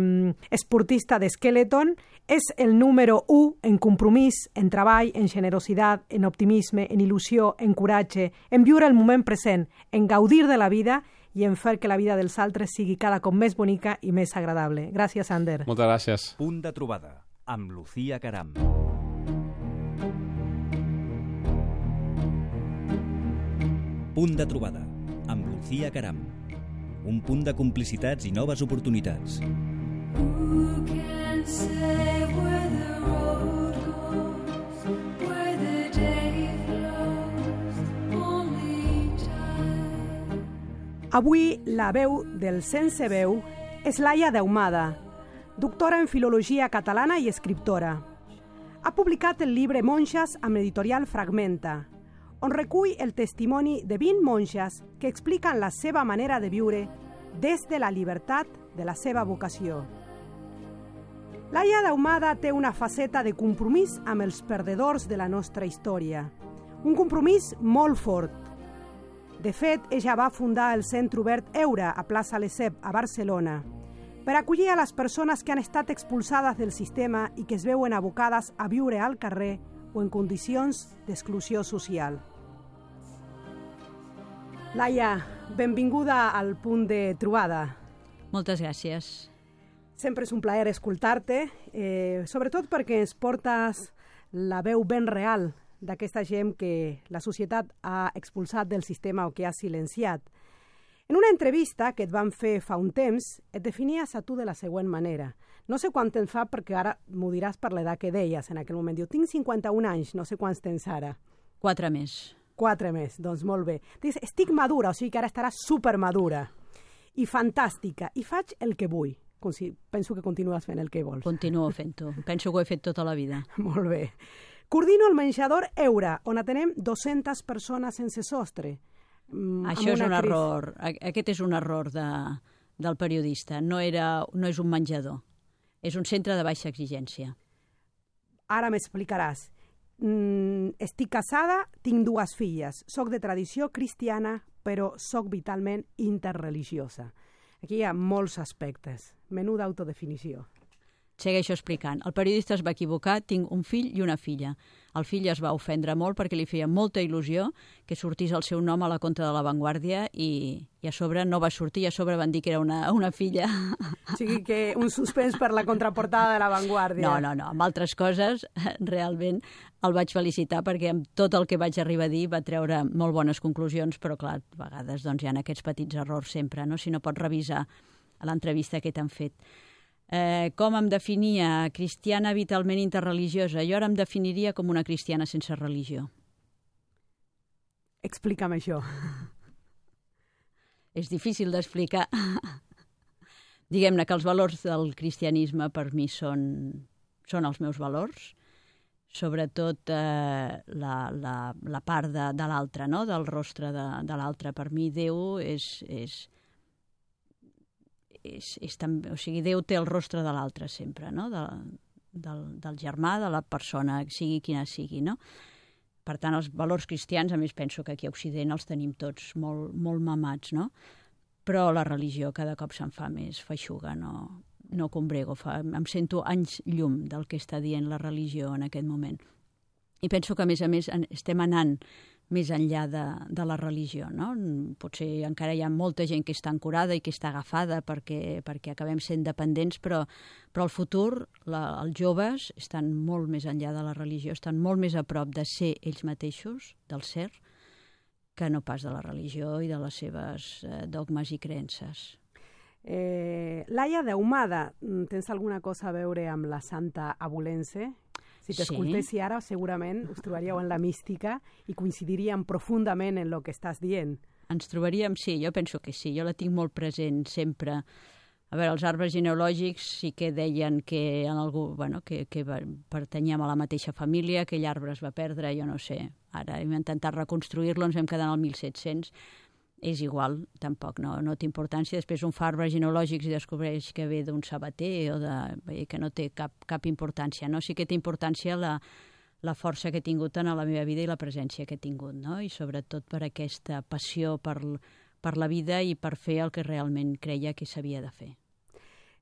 S2: esportista de Skeleton. És el número u en compromís, en treball, en generositat, en optimisme, en il·lusió, en coratge, en viure el moment present, en gaudir de la vida i en fer que la vida dels altres sigui cada cop més bonica i més agradable. Gràcies, Ander.
S3: Moltes gràcies.
S1: Punt de trobada amb Lucía Caram. Punt de trobada amb Lucía Caram. Un punt de complicitats i noves oportunitats. Who can say where the road goes, where the day flows, only time.
S2: Avui la veu del sense veu és Laia Dehumada, doctora en Filologia Catalana i escriptora. Ha publicat el llibre Monges amb l'editorial Fragmenta, on recull el testimoni de vint monges que expliquen la seva manera de viure des de la llibertat de la seva vocació. Laia Dehumada té una faceta de compromís amb els perdedors de la nostra història. Un compromís molt fort. De fet, ella va fundar el Centre Obert Eura a plaça Lesseps, a Barcelona, per acollir a les persones que han estat expulsades del sistema i que es veuen abocades a viure al carrer o en condicions d'exclusió social. Laia, benvinguda al punt de trobada.
S4: Moltes gràcies.
S2: Sempre és un plaer escoltar-te, eh, sobretot perquè ens portes la veu ben real d'aquesta gent que la societat ha expulsat del sistema o que ha silenciat. En una entrevista que et van fer fa un temps, et definies a tu de la següent manera. No sé quant temps fa, perquè ara m'ho diràs per l'edat que deies en aquell moment. Diu, tinc cinquanta-un anys, no sé quants tens ara.
S4: Quatre més.
S2: Quatre més, doncs molt bé. Dius, estic madura, o sigui que ara estaràs supermadura i fantàstica, i faig el que vull. Com si penso que continues fent el que vols.
S4: Continuo fent-ho. Penso que ho he fet tota la vida.
S2: Molt bé. Coordino el menjador Eura, on atenem dues-centes persones sense sostre.
S4: Mm, Això és un crisi. error. Aquest és un error de, del periodista. No, era, no és un menjador. És un centre de baixa exigència.
S2: Ara m'explicaràs. Mm, estic casada, tinc dues filles. Soc de tradició cristiana, però soc vitalment interreligiosa. Aquí hi ha molts aspectes. Menú d'autodefinició.
S4: Segueixo explicant. El periodista es va equivocar, tinc un fill i una filla. El fill es va ofendre molt perquè li feia molta il·lusió que sortís el seu nom a la contra de La Vanguardia i, i a sobre no va sortir i a sobre van dir que era una, una filla.
S2: O sigui que un suspens per la contraportada de La Vanguardia.
S4: No, no, no. Amb altres coses, realment el vaig felicitar perquè amb tot el que vaig arribar a dir va treure molt bones conclusions, però clar, a vegades doncs, hi ha aquests petits errors sempre, no? Si no pots revisar l'entrevista que t'han fet. Eh, com em definia? Cristiana vitalment interreligiosa. Jo ara em definiria com una cristiana sense religió.
S2: Explica'm això.
S4: És difícil d'explicar. Diguem-ne que els valors del cristianisme per mi són, són els meus valors. sobretot eh, la, la, la part de, de l'altre, no? Del rostre de, de l'altre. Per mi Déu és, és, és, és també, o sigui, Déu té el rostre de l'altre sempre, no? De, del, del germà, de la persona, sigui quina sigui, no? Per tant, els valors cristians, a més penso que aquí a Occident els tenim tots molt, molt mamats, no? Però la religió cada cop se'n fa més feixuga, no, no combrego, fa, em sento anys llum del que està dient la religió en aquest moment. I penso que, a més a més, estem anant més enllà de, de la religió, no? Potser encara hi ha molta gent que està ancorada i que està agafada perquè, perquè acabem sent dependents, però, però al futur la, els joves estan molt més enllà de la religió, estan molt més a prop de ser ells mateixos, del ser, que no pas de la religió i de les seves eh, dogmes i creences.
S2: Eh, Laia d'Ahumada, tens alguna cosa a veure amb la Santa Abulense? Si t'escoltessi sí. Ara, segurament us trobaríeu en la mística i coincidiríem profundament en el que estàs dient.
S4: Ens trobaríem, sí, jo penso que sí, jo la tinc molt present sempre. A veure, els arbres genealògics sí que deien que, en algú, bueno, que, que pertanyíem a la mateixa família, aquell arbre es va perdre, jo no sé. Ara hem intentat reconstruir-lo, ens vam quedar en el mil set-cents. És igual, tampoc, no, no té importància. Després un fa arbres genealògics i descobreix que ve d'un sabater o de, que no té cap, cap importància. No? Sí que té importància la, la força que he tingut en la meva vida i la presència que he tingut, no? I sobretot per aquesta passió per, per la vida i per fer el que realment creia que s'havia de fer.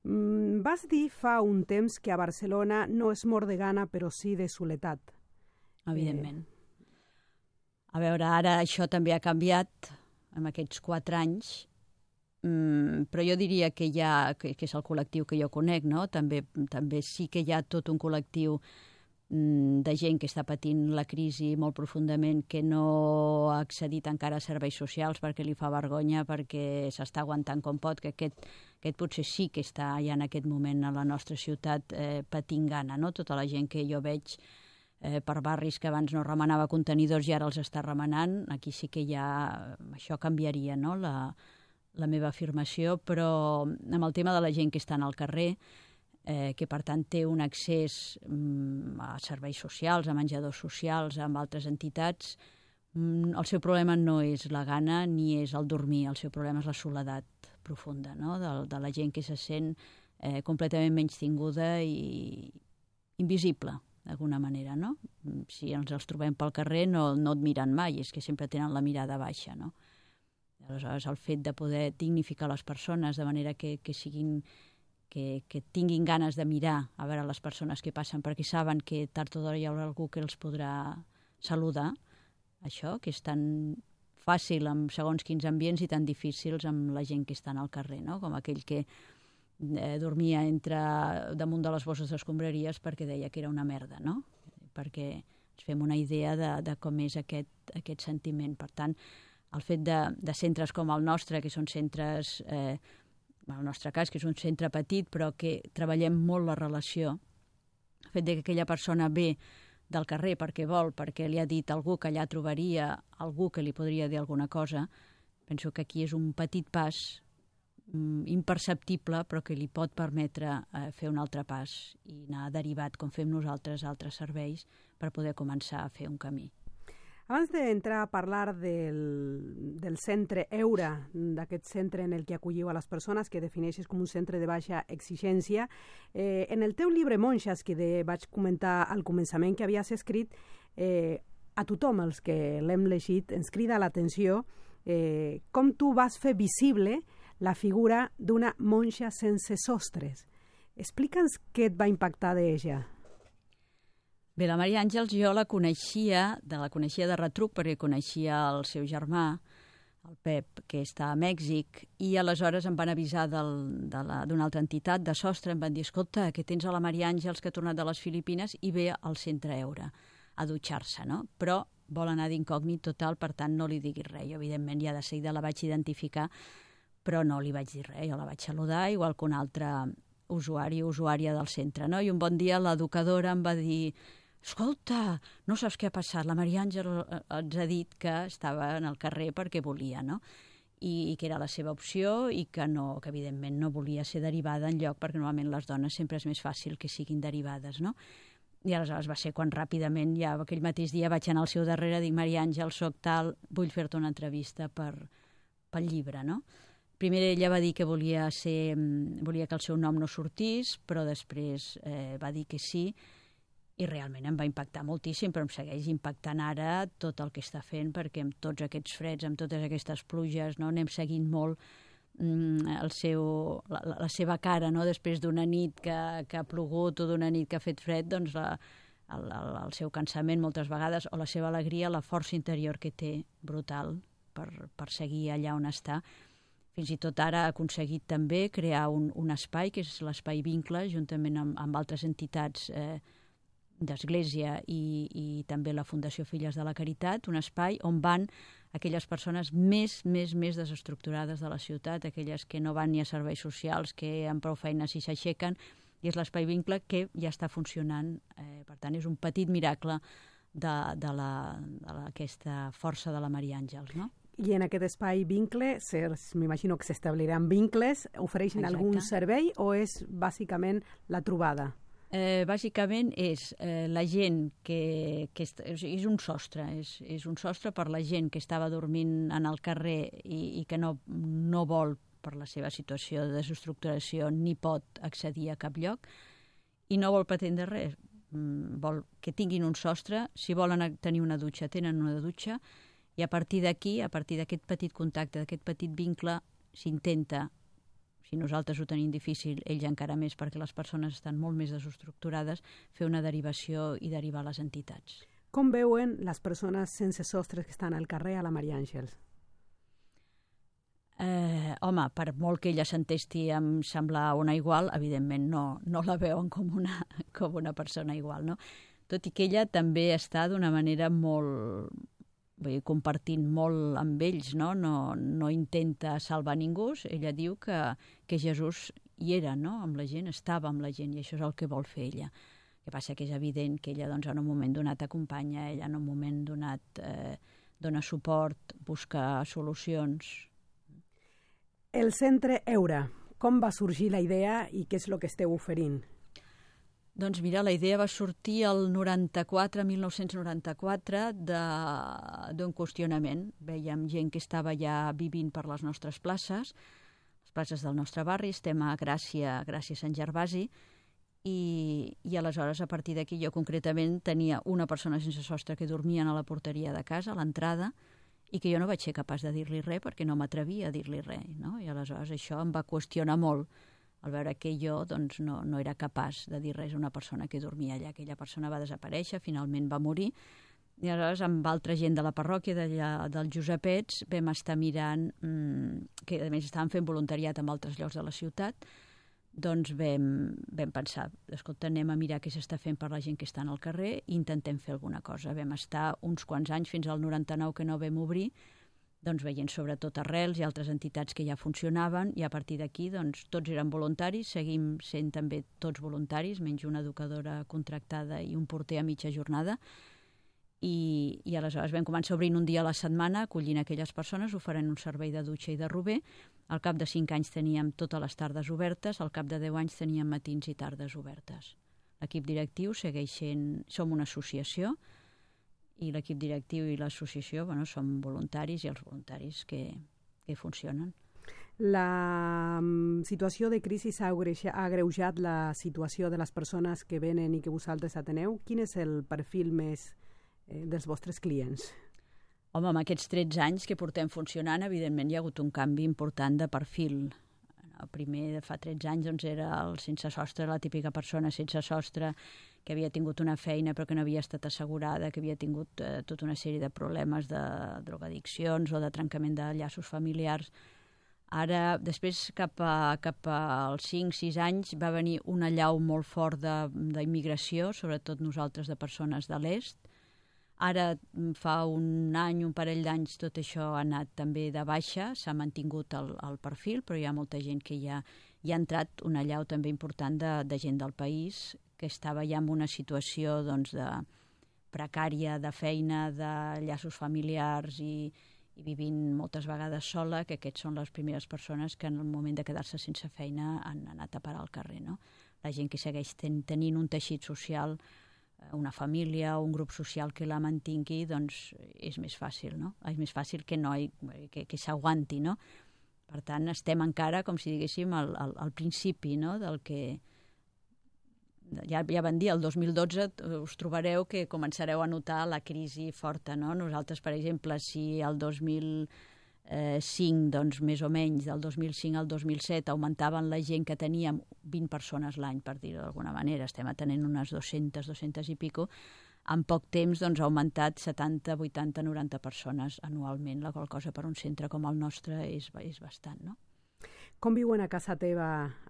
S2: Mm, vas dir fa un temps que a Barcelona no es mor de gana, però sí de soledat.
S4: Evidentment. Eh... A veure, ara això també ha canviat en aquests quatre anys, mm, però jo diria que, hi ha, que, que és el col·lectiu que jo conec, no? També, també sí que hi ha tot un col·lectiu mm, de gent que està patint la crisi molt profundament, que no ha accedit encara a serveis socials perquè li fa vergonya, perquè s'està aguantant com pot, que aquest, aquest potser sí que està ja en aquest moment a la nostra ciutat eh, patint gana, no? Tota la gent que jo veig Eh, per barris que abans no remenava contenidors i ara els està remenant, aquí sí que ja això canviaria, no? la, la meva afirmació, però amb el tema de la gent que està al carrer, eh, que per tant té un accés mm, a serveis socials, a menjadors socials, amb altres entitats, mm, el seu problema no és la gana ni és el dormir, el seu problema és la soledat profunda, no? de, de la gent que se sent eh, completament menystinguda i invisible, d'alguna manera, no? Si ens els trobem pel carrer no, no et miren mai, és que sempre tenen la mirada baixa, no? Aleshores, el fet de poder dignificar les persones de manera que, que siguin, que, que tinguin ganes de mirar a veure les persones que passen, perquè saben que tard o d'hora hi haurà algú que els podrà saludar, això, que és tan fàcil en segons quins ambients i tan difícils amb la gent que està al carrer, no? Com aquell que Eh, dormia entre, damunt de les bosses d'escombraries perquè deia que era una merda, no? Perquè ens fem una idea de, de com és aquest, aquest sentiment. Per tant, el fet de, de centres com el nostre, que són centres, eh, en el nostre cas, que és un centre petit, però que treballem molt la relació, el fet de que aquella persona ve del carrer perquè vol, perquè li ha dit algú que allà trobaria algú que li podria dir alguna cosa, penso que aquí és un petit pas imperceptible, però que li pot permetre eh, fer un altre pas i anar derivat, com fem nosaltres, a altres serveis, per poder començar a fer un camí.
S2: Abans d'entrar a parlar del, del centre Eura, d'aquest centre en el que acolliu a les persones, que defineixes com un centre de baixa exigència, eh, en el teu llibre Monxes, que de, vaig comentar al començament que havies escrit, eh, a tothom els que l'hem llegit ens crida l'atenció eh, com tu vas fer visible la figura d'una monja sense sostres. Explica'ns què et va impactar d'ella.
S4: Bé, la Maria Àngels jo la coneixia, de la coneixia de retruc perquè coneixia el seu germà, el Pep, que està a Mèxic, i aleshores em van avisar d'una de altra entitat de sostre, em van dir, escolta, que tens a la Maria Àngels que ha tornat de les Filipines i ve al centre Eura a dutxar-se, no? Però vol anar d'incògnit total, per tant no li diguis res. Jo, evidentment, ja de seguida la vaig identificar, però no li vaig dir res, jo la vaig saludar, igual que un altre usuari o usuària del centre, no? I un bon dia l'educadora em va dir, escolta, no saps què ha passat, la Maria Àngel ens ha dit que estava en el carrer perquè volia, no? I, i que era la seva opció i que, no, que evidentment no volia ser derivada enlloc, perquè normalment les dones sempre és més fàcil que siguin derivades, no? I aleshores va ser quan ràpidament, ja aquell mateix dia vaig anar al seu darrere, dic, Maria Àngel, soc tal, vull fer-te una entrevista per, pel llibre, no? Primer ella va dir que volia, ser, volia que el seu nom no sortís, però després eh, va dir que sí, i realment em va impactar moltíssim, però em segueix impactant ara tot el que està fent, perquè amb tots aquests freds, amb totes aquestes pluges, no, anem seguint molt el seu, la, la seva cara, no? Després d'una nit que, que ha plogut o d'una nit que ha fet fred, doncs la, el, el, el seu cansament moltes vegades, o la seva alegria, la força interior que té brutal per, per seguir allà on està. Fins i tot ara ha aconseguit també crear un, un espai, que és l'espai Vincle, juntament amb, amb altres entitats eh, d'Església i, i també la Fundació Filles de la Caritat, un espai on van aquelles persones més, més, més desestructurades de la ciutat, aquelles que no van ni a serveis socials, que amb prou feines si s'aixequen, i és l'Espai Vincle que ja està funcionant. Eh, per tant, és un petit miracle de, de, la, de la, aquesta força de la Maria Àngels, no?
S2: I en aquest espai Vincle, m'imagino que s'establiran vincles, ofereixen Exacte. Algun servei o és bàsicament la trobada?
S4: Eh, bàsicament és eh, la gent que, que és, és un sostre, és, és un sostre per la gent que estava dormint en el carrer i, i que no, no vol, per la seva situació de desestructuració, ni pot accedir a cap lloc i no vol pretendre res, vol que tinguin un sostre, si volen tenir una dutxa, tenen una dutxa, i a partir d'aquí, a partir d'aquest petit contacte, d'aquest petit vincle, s'intenta, si nosaltres ho tenim difícil, ells encara més, perquè les persones estan molt més desestructurades, fer una derivació i derivar a les entitats.
S2: Com veuen les persones sense sostres que estan al carrer a la Maria Àngels?
S4: Eh, home, per molt que ella s'entesti em semblar una igual, evidentment no, no la veuen com una, com una persona igual, no? Tot i que ella també està d'una manera molt... Vull dir, compartint molt amb ells, no? No, no intenta salvar ningú. Ella diu que, que Jesús hi era, no? Amb la gent, estava amb la gent, i això és el que vol fer ella. El que passa que és evident que ella doncs, en un moment donat acompanya, ella en un moment donat eh, dona suport, busca solucions.
S2: El centre Eura, com va sorgir la idea i què és el que esteu oferint?
S4: Doncs mira, la idea va sortir el noranta-quatre, mil nou-cents noranta-quatre, d'un qüestionament. Vèiem gent que estava ja vivint per les nostres places, les places del nostre barri, estem a Gràcia, Gràcia Sant Gervasi, i, i aleshores a partir d'aquí jo concretament tenia una persona sense sostre que dormien a la porteria de casa, a l'entrada, i que jo no vaig ser capaç de dir-li res perquè no m'atrevia a dir-li res, no? I aleshores això em va qüestionar molt, al veure que jo doncs, no, no era capaç de dir res a una persona que dormia allà. Aquella persona va desaparèixer, finalment va morir, i aleshores amb altra gent de la parròquia d'allà, dels Josepets, vam estar mirant, mmm, que a més estaven fent voluntariat en altres llocs de la ciutat, doncs vam, vam pensar, escolta, anem a mirar què s'està fent per la gent que està al carrer i intentem fer alguna cosa. Vam estar uns quants anys, fins al noranta-nou que no vam obrir, doncs veient sobretot Arrels i altres entitats que ja funcionaven, i a partir d'aquí doncs, tots eren voluntaris, seguim sent també tots voluntaris, menys una educadora contractada i un porter a mitja jornada, i, i aleshores vam començar obrint un dia a la setmana, acollint aquelles persones, oferint un servei de dutxa i de rober. Al cap de cinc anys teníem totes les tardes obertes, al cap de deu anys teníem matins i tardes obertes. L'equip directiu segueix sent, som una associació, i l'equip directiu i l'associació bueno, són voluntaris i els voluntaris que, que funcionen.
S2: La situació de crisi ha agreujat la situació de les persones que venen i que vosaltres ateneu. Quin és el perfil més eh, dels vostres clients?
S4: Home, amb aquests tretze anys que portem funcionant, evidentment hi ha hagut un canvi important de perfil. El primer, de fa tretze anys, doncs, era el sense sostre, la típica persona sense sostre que havia tingut una feina però que no havia estat assegurada, que havia tingut eh, tota una sèrie de problemes de drogadiccions o de trencament de llaços familiars. Ara, després, cap, a, cap als cinc sis anys, va venir una allau molt fort d'immigració, sobretot nosaltres de persones de l'est. Ara, fa un any, un parell d'anys, tot això ha anat també de baixa, s'ha mantingut el, el perfil, però hi ha molta gent que ja hi ha entrat una allau també important de, de gent del país, que estava ja en una situació doncs, de precària, de feina, de llaços familiars i, i vivint moltes vegades sola, que aquests són les primeres persones que en el moment de quedar-se sense feina han anat a parar al carrer. No? La gent que segueix ten, tenint un teixit social una família o un grup social que la mantingui, doncs és més fàcil, no? És més fàcil que no hi, que, que s'aguanti, no? Per tant, estem encara, com si diguéssim, al, al, al principi, no?, del que... Ja, ja van dir, el dos mil dotze us trobareu que començareu a notar la crisi forta, no? Nosaltres, per exemple, si el dos mil cinc, doncs més o menys, del dos mil cinc al dos mil set augmentaven la gent que teníem vint persones l'any, per dir-ho d'alguna manera, estem atenent unes dues-centes, dues-centes i pico, en poc temps doncs, ha augmentat setanta, vuitanta, noranta persones anualment, la qual cosa per un centre com el nostre és, és bastant, no?
S2: Com viuen a casa teva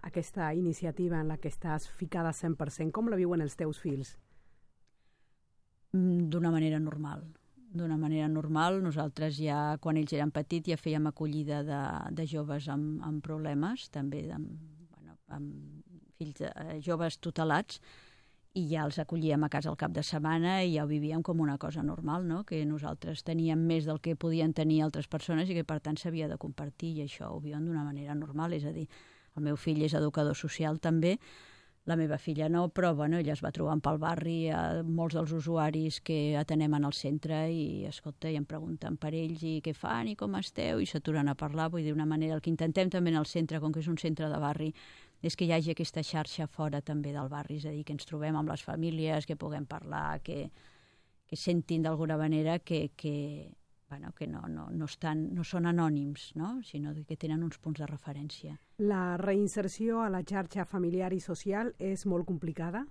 S2: aquesta iniciativa en la que estàs ficada cent per cent? Com la viuen els teus fills?
S4: D'una manera normal. D'una manera normal. Nosaltres ja, quan ells eren petits, ja fèiem acollida de, de joves amb, amb problemes, també amb, bueno, amb fills de, eh, joves tutelats, i ja els acollíem a casa al cap de setmana i ja ho vivíem com una cosa normal, no? Que nosaltres teníem més del que podien tenir altres persones i que per tant s'havia de compartir, i això ho viuen d'una manera normal. És a dir, el meu fill és educador social també, la meva filla no, però bueno, ella es va trobant pel barri a molts dels usuaris que atenem en el centre i, escolta, i em pregunten per ells i què fan i com esteu, i s'aturen a parlar. Vull dir, d'una manera, el que intentem també en el centre, com que és un centre de barri, és que hi hagi aquesta xarxa fora també del barri, és a dir, que ens trobem amb les famílies, que puguem parlar, que, que sentin d'alguna manera que, que, bueno, que no, no, no, estan, no són anònims, no? Sinó que tenen uns punts de referència.
S2: La reinserció a la xarxa familiar i social és molt complicada?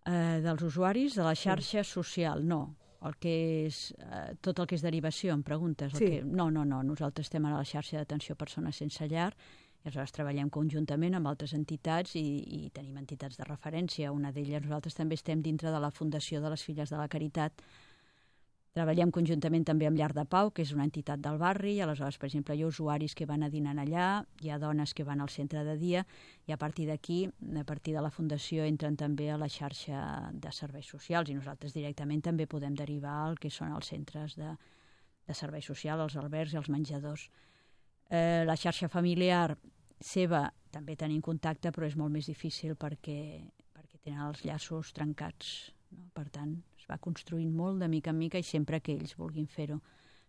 S4: Eh, dels usuaris de la xarxa sí. social, no. El que és, eh, tot el que és derivació, em preguntes? El
S2: sí.
S4: que, no, no, no. Nosaltres estem a la xarxa d'atenció a persones sense llar i aleshores treballem conjuntament amb altres entitats i, i tenim entitats de referència. Una d'elles, nosaltres també estem dintre de la Fundació de les Filles de la Caritat. Treballem conjuntament també amb Llar de Pau, que és una entitat del barri, i aleshores, per exemple, hi ha usuaris que van a dinar allà, hi ha dones que van al centre de dia, i a partir d'aquí, a partir de la Fundació, entren també a la xarxa de serveis socials, i nosaltres directament també podem derivar al que són els centres de, de serveis socials, els albergs i els menjadors. Eh, la xarxa familiar seva també tenim contacte, però és molt més difícil perquè, perquè tenen els llaços trencats, no? Per tant, es va construint molt de mica en mica i sempre que ells vulguin fer-ho.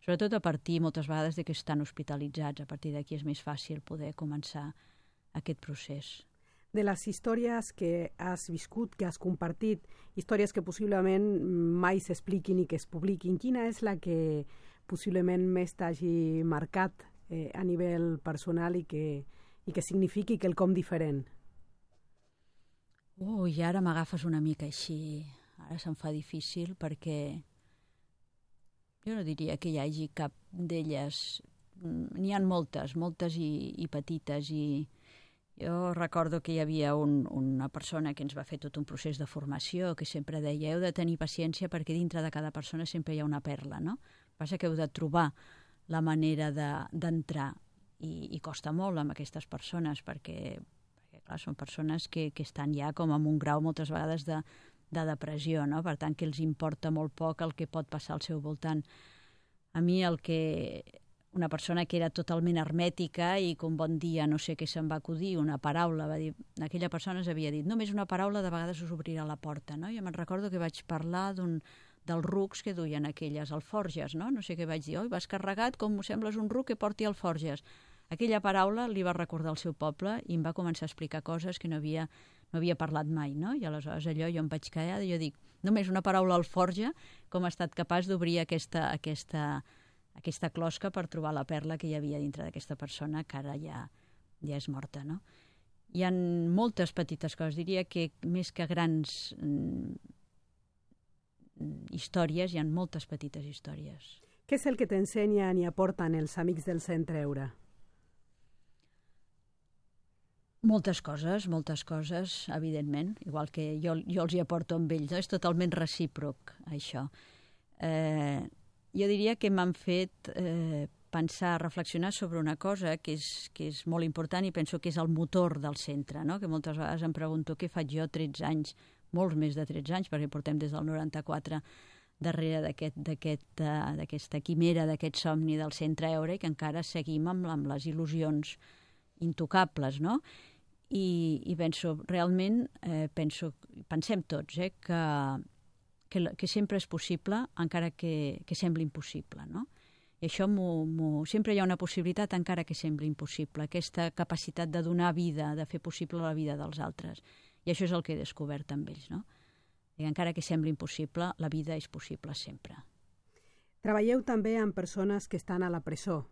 S4: Sobretot a partir, moltes vegades, de que estan hospitalitzats. A partir d'aquí és més fàcil poder començar aquest procés.
S2: De les històries que has viscut, que has compartit, històries que possiblement mai s'expliquin i que es publiquin, quina és la que possiblement més t'hagi marcat eh, a nivell personal i que, i que signifiqui quelcom diferent?
S4: Ui, ara m'agafes una mica així... Ara se'm fa difícil perquè jo no diria que hi hagi cap d'elles. N'hi ha moltes, moltes i, i petites, i jo recordo que hi havia un, una persona que ens va fer tot un procés de formació que sempre deia, heu de tenir paciència perquè dintre de cada persona sempre hi ha una perla, no? Passa que heu de trobar la manera d'entrar de, i, i costa molt amb aquestes persones perquè, perquè clar, són persones que, que estan ja com en un grau moltes vegades de de depressió, no? Per tant, que els importa molt poc el que pot passar al seu voltant. A mi el que... Una persona que era totalment hermètica i que un bon dia no sé què se'n va acudir, una paraula, va dir... Aquella persona havia dit, només una paraula de vegades us obrirà la porta, no? Jo me'n recordo que vaig parlar d'un dels rucs que duien aquelles alforges, no? No sé què vaig dir, oi, vas carregat com m'ho sembles un ruc que porti alforges. Aquella paraula li va recordar el seu poble i em va començar a explicar coses que no havia, no havia parlat mai, no? I aleshores allò jo em vaig quedar i jo dic, només una paraula alforja, com ha estat capaç d'obrir aquesta, aquesta, aquesta closca per trobar la perla que hi havia dintre d'aquesta persona que ara ja, ja és morta, no? Hi ha moltes petites coses, diria que més que grans mm, històries, hi ha moltes petites històries.
S2: Què és el que t'ensenyen i aporten els amics del Centre Eura?
S4: Moltes coses, moltes coses, evidentment, igual que jo, jo els hi aporto amb ells, no? És totalment recíproc, això. Eh, jo diria que m'han fet eh, pensar, reflexionar sobre una cosa que és, que és molt important i penso que és el motor del centre, no? Que moltes vegades em pregunto què faig jo tretze anys, molts més de tretze anys, perquè portem des del noranta-quatre darrere d'aquesta aquest, quimera, d'aquest somni del Centre Eura i que encara seguim amb, amb les il·lusions intocables, no? i, i penso, realment, eh, penso, pensem tots, eh, que, que, que sempre és possible, encara que, que sembli impossible, no? I això m'ho, m'ho, sempre hi ha una possibilitat encara que sembli impossible, aquesta capacitat de donar vida, de fer possible la vida dels altres. I això és el que he descobert amb ells, no? I encara que sembli impossible, la vida és possible sempre.
S2: Treballeu també amb persones que estan a la presó.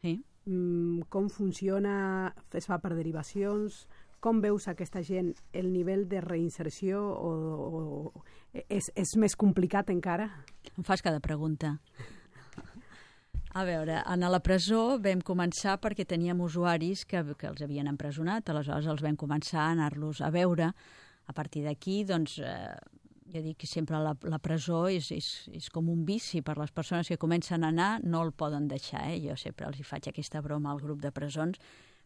S4: Sí.
S2: Mm, com funciona? Es fa per derivacions? Com veus aquesta gent? El nivell de reinserció o, o és, és més complicat encara?
S4: Em fas cada pregunta. A veure, a la presó vam començar perquè teníem usuaris que, que els havien empresonat, aleshores els vam començar a anar-los a veure. A partir d'aquí, doncs, eh, jo dic que sempre la, la presó és, és, és com un vici per les persones que comencen a anar, no el poden deixar. Eh? Jo sempre els hi faig aquesta broma al grup de presons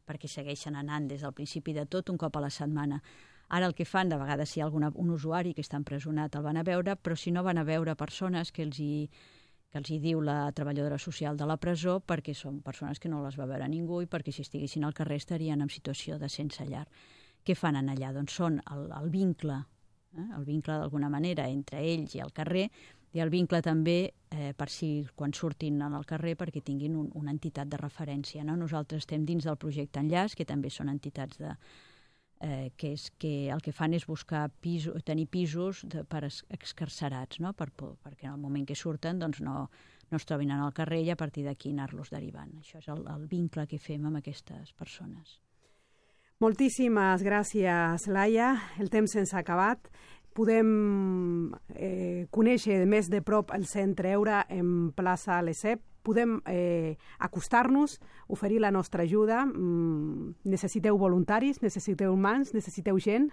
S4: perquè segueixen anant des del principi de tot un cop a la setmana. Ara el que fan, de vegades si hi ha alguna, un usuari que està empresonat el van a veure, però si no van a veure persones que els hi que els hi diu la treballadora social de la presó, perquè són persones que no les va veure ningú i perquè si estiguessin al carrer estarien en situació de sense llar. Què fan allà? Doncs són el, el vincle, eh? el vincle d'alguna manera entre ells i el carrer, i el vincle també eh, per si quan surtin al carrer perquè tinguin un, una entitat de referència. No? Nosaltres estem dins del projecte Enllaç, que també són entitats de, eh, que, és, que el que fan és buscar piso, tenir pisos de, per excarcerats, no? per, perquè en el moment que surten doncs no, no es trobin en el carrer i a partir d'aquí anar-los derivant. Això és el, el vincle que fem amb aquestes persones.
S2: Moltíssimes gràcies, Laia. El temps se'ns ha acabat. Podem eh, conèixer més de prop el Centre Eura en plaça Lesseps. Podem eh, acostar-nos, oferir la nostra ajuda. Mm, necessiteu voluntaris, necessiteu mans, necessiteu gent?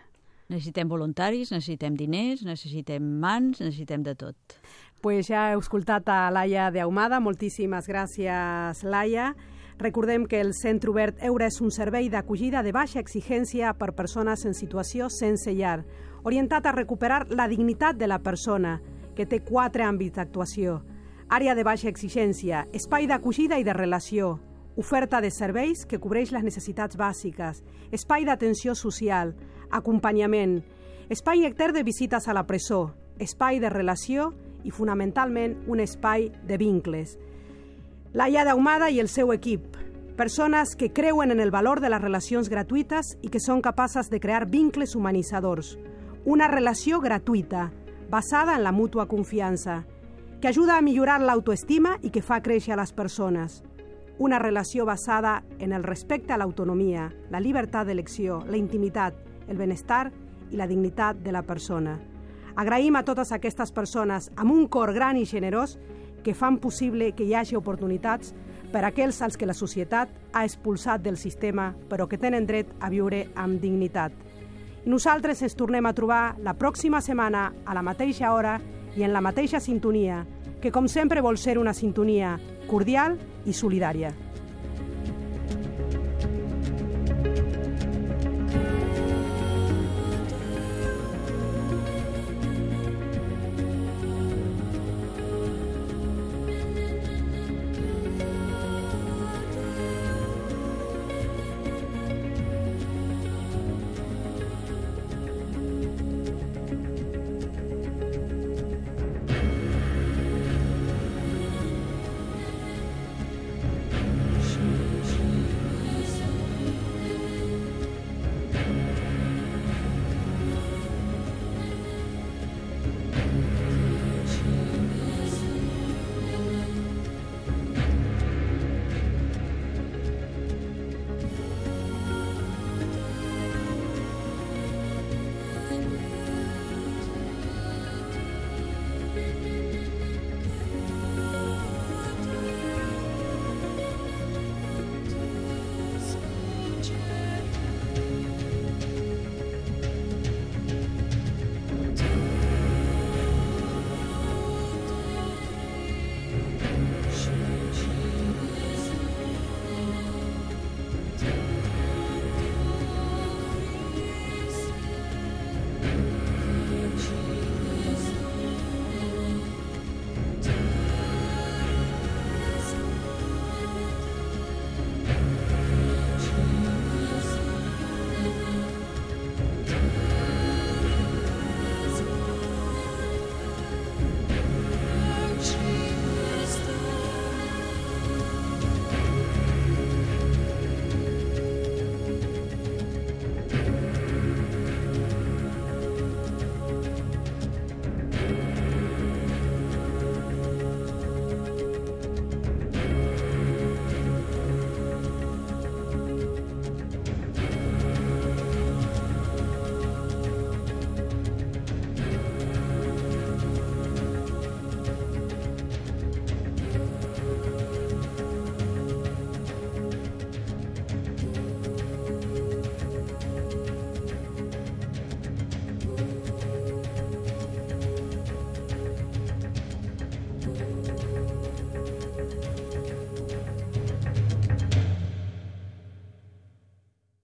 S4: Necessitem voluntaris, necessitem diners, necessitem mans, necessitem de tot.
S2: Pues ja heu escoltat a Laia d'Ahumada. Moltíssimes gràcies, Laia. Recordem que el Centre Obert Eura és un servei d'acollida de baixa exigència per persones en situació sense llar, orientat a recuperar la dignitat de la persona, que té quatre àmbits d'actuació. Àrea de baixa exigència, espai d'acollida i de relació, oferta de serveis que cobreix les necessitats bàsiques, espai d'atenció social, acompanyament, espai nectar de visites a la presó, espai de relació i, fonamentalment, un espai de vincles. Laia d'Ahumada i el seu equip, persones que creuen en el valor de les relacions gratuïtes i que són capaces de crear vincles humanitzadors. Una relació gratuïta, basada en la mútua confiança, que ajuda a millorar l'autoestima i que fa créixer a les persones. Una relació basada en el respecte a l'autonomia, la llibertat d'elecció, la intimitat, el benestar i la dignitat de la persona. Agraïm a totes aquestes persones amb un cor gran i generós que fan possible que hi hagi oportunitats per a aquells als que la societat ha expulsat del sistema però que tenen dret a viure amb dignitat. I nosaltres ens tornem a trobar la pròxima setmana a la mateixa hora i en la mateixa sintonia, que com sempre vol ser una sintonia cordial i solidària.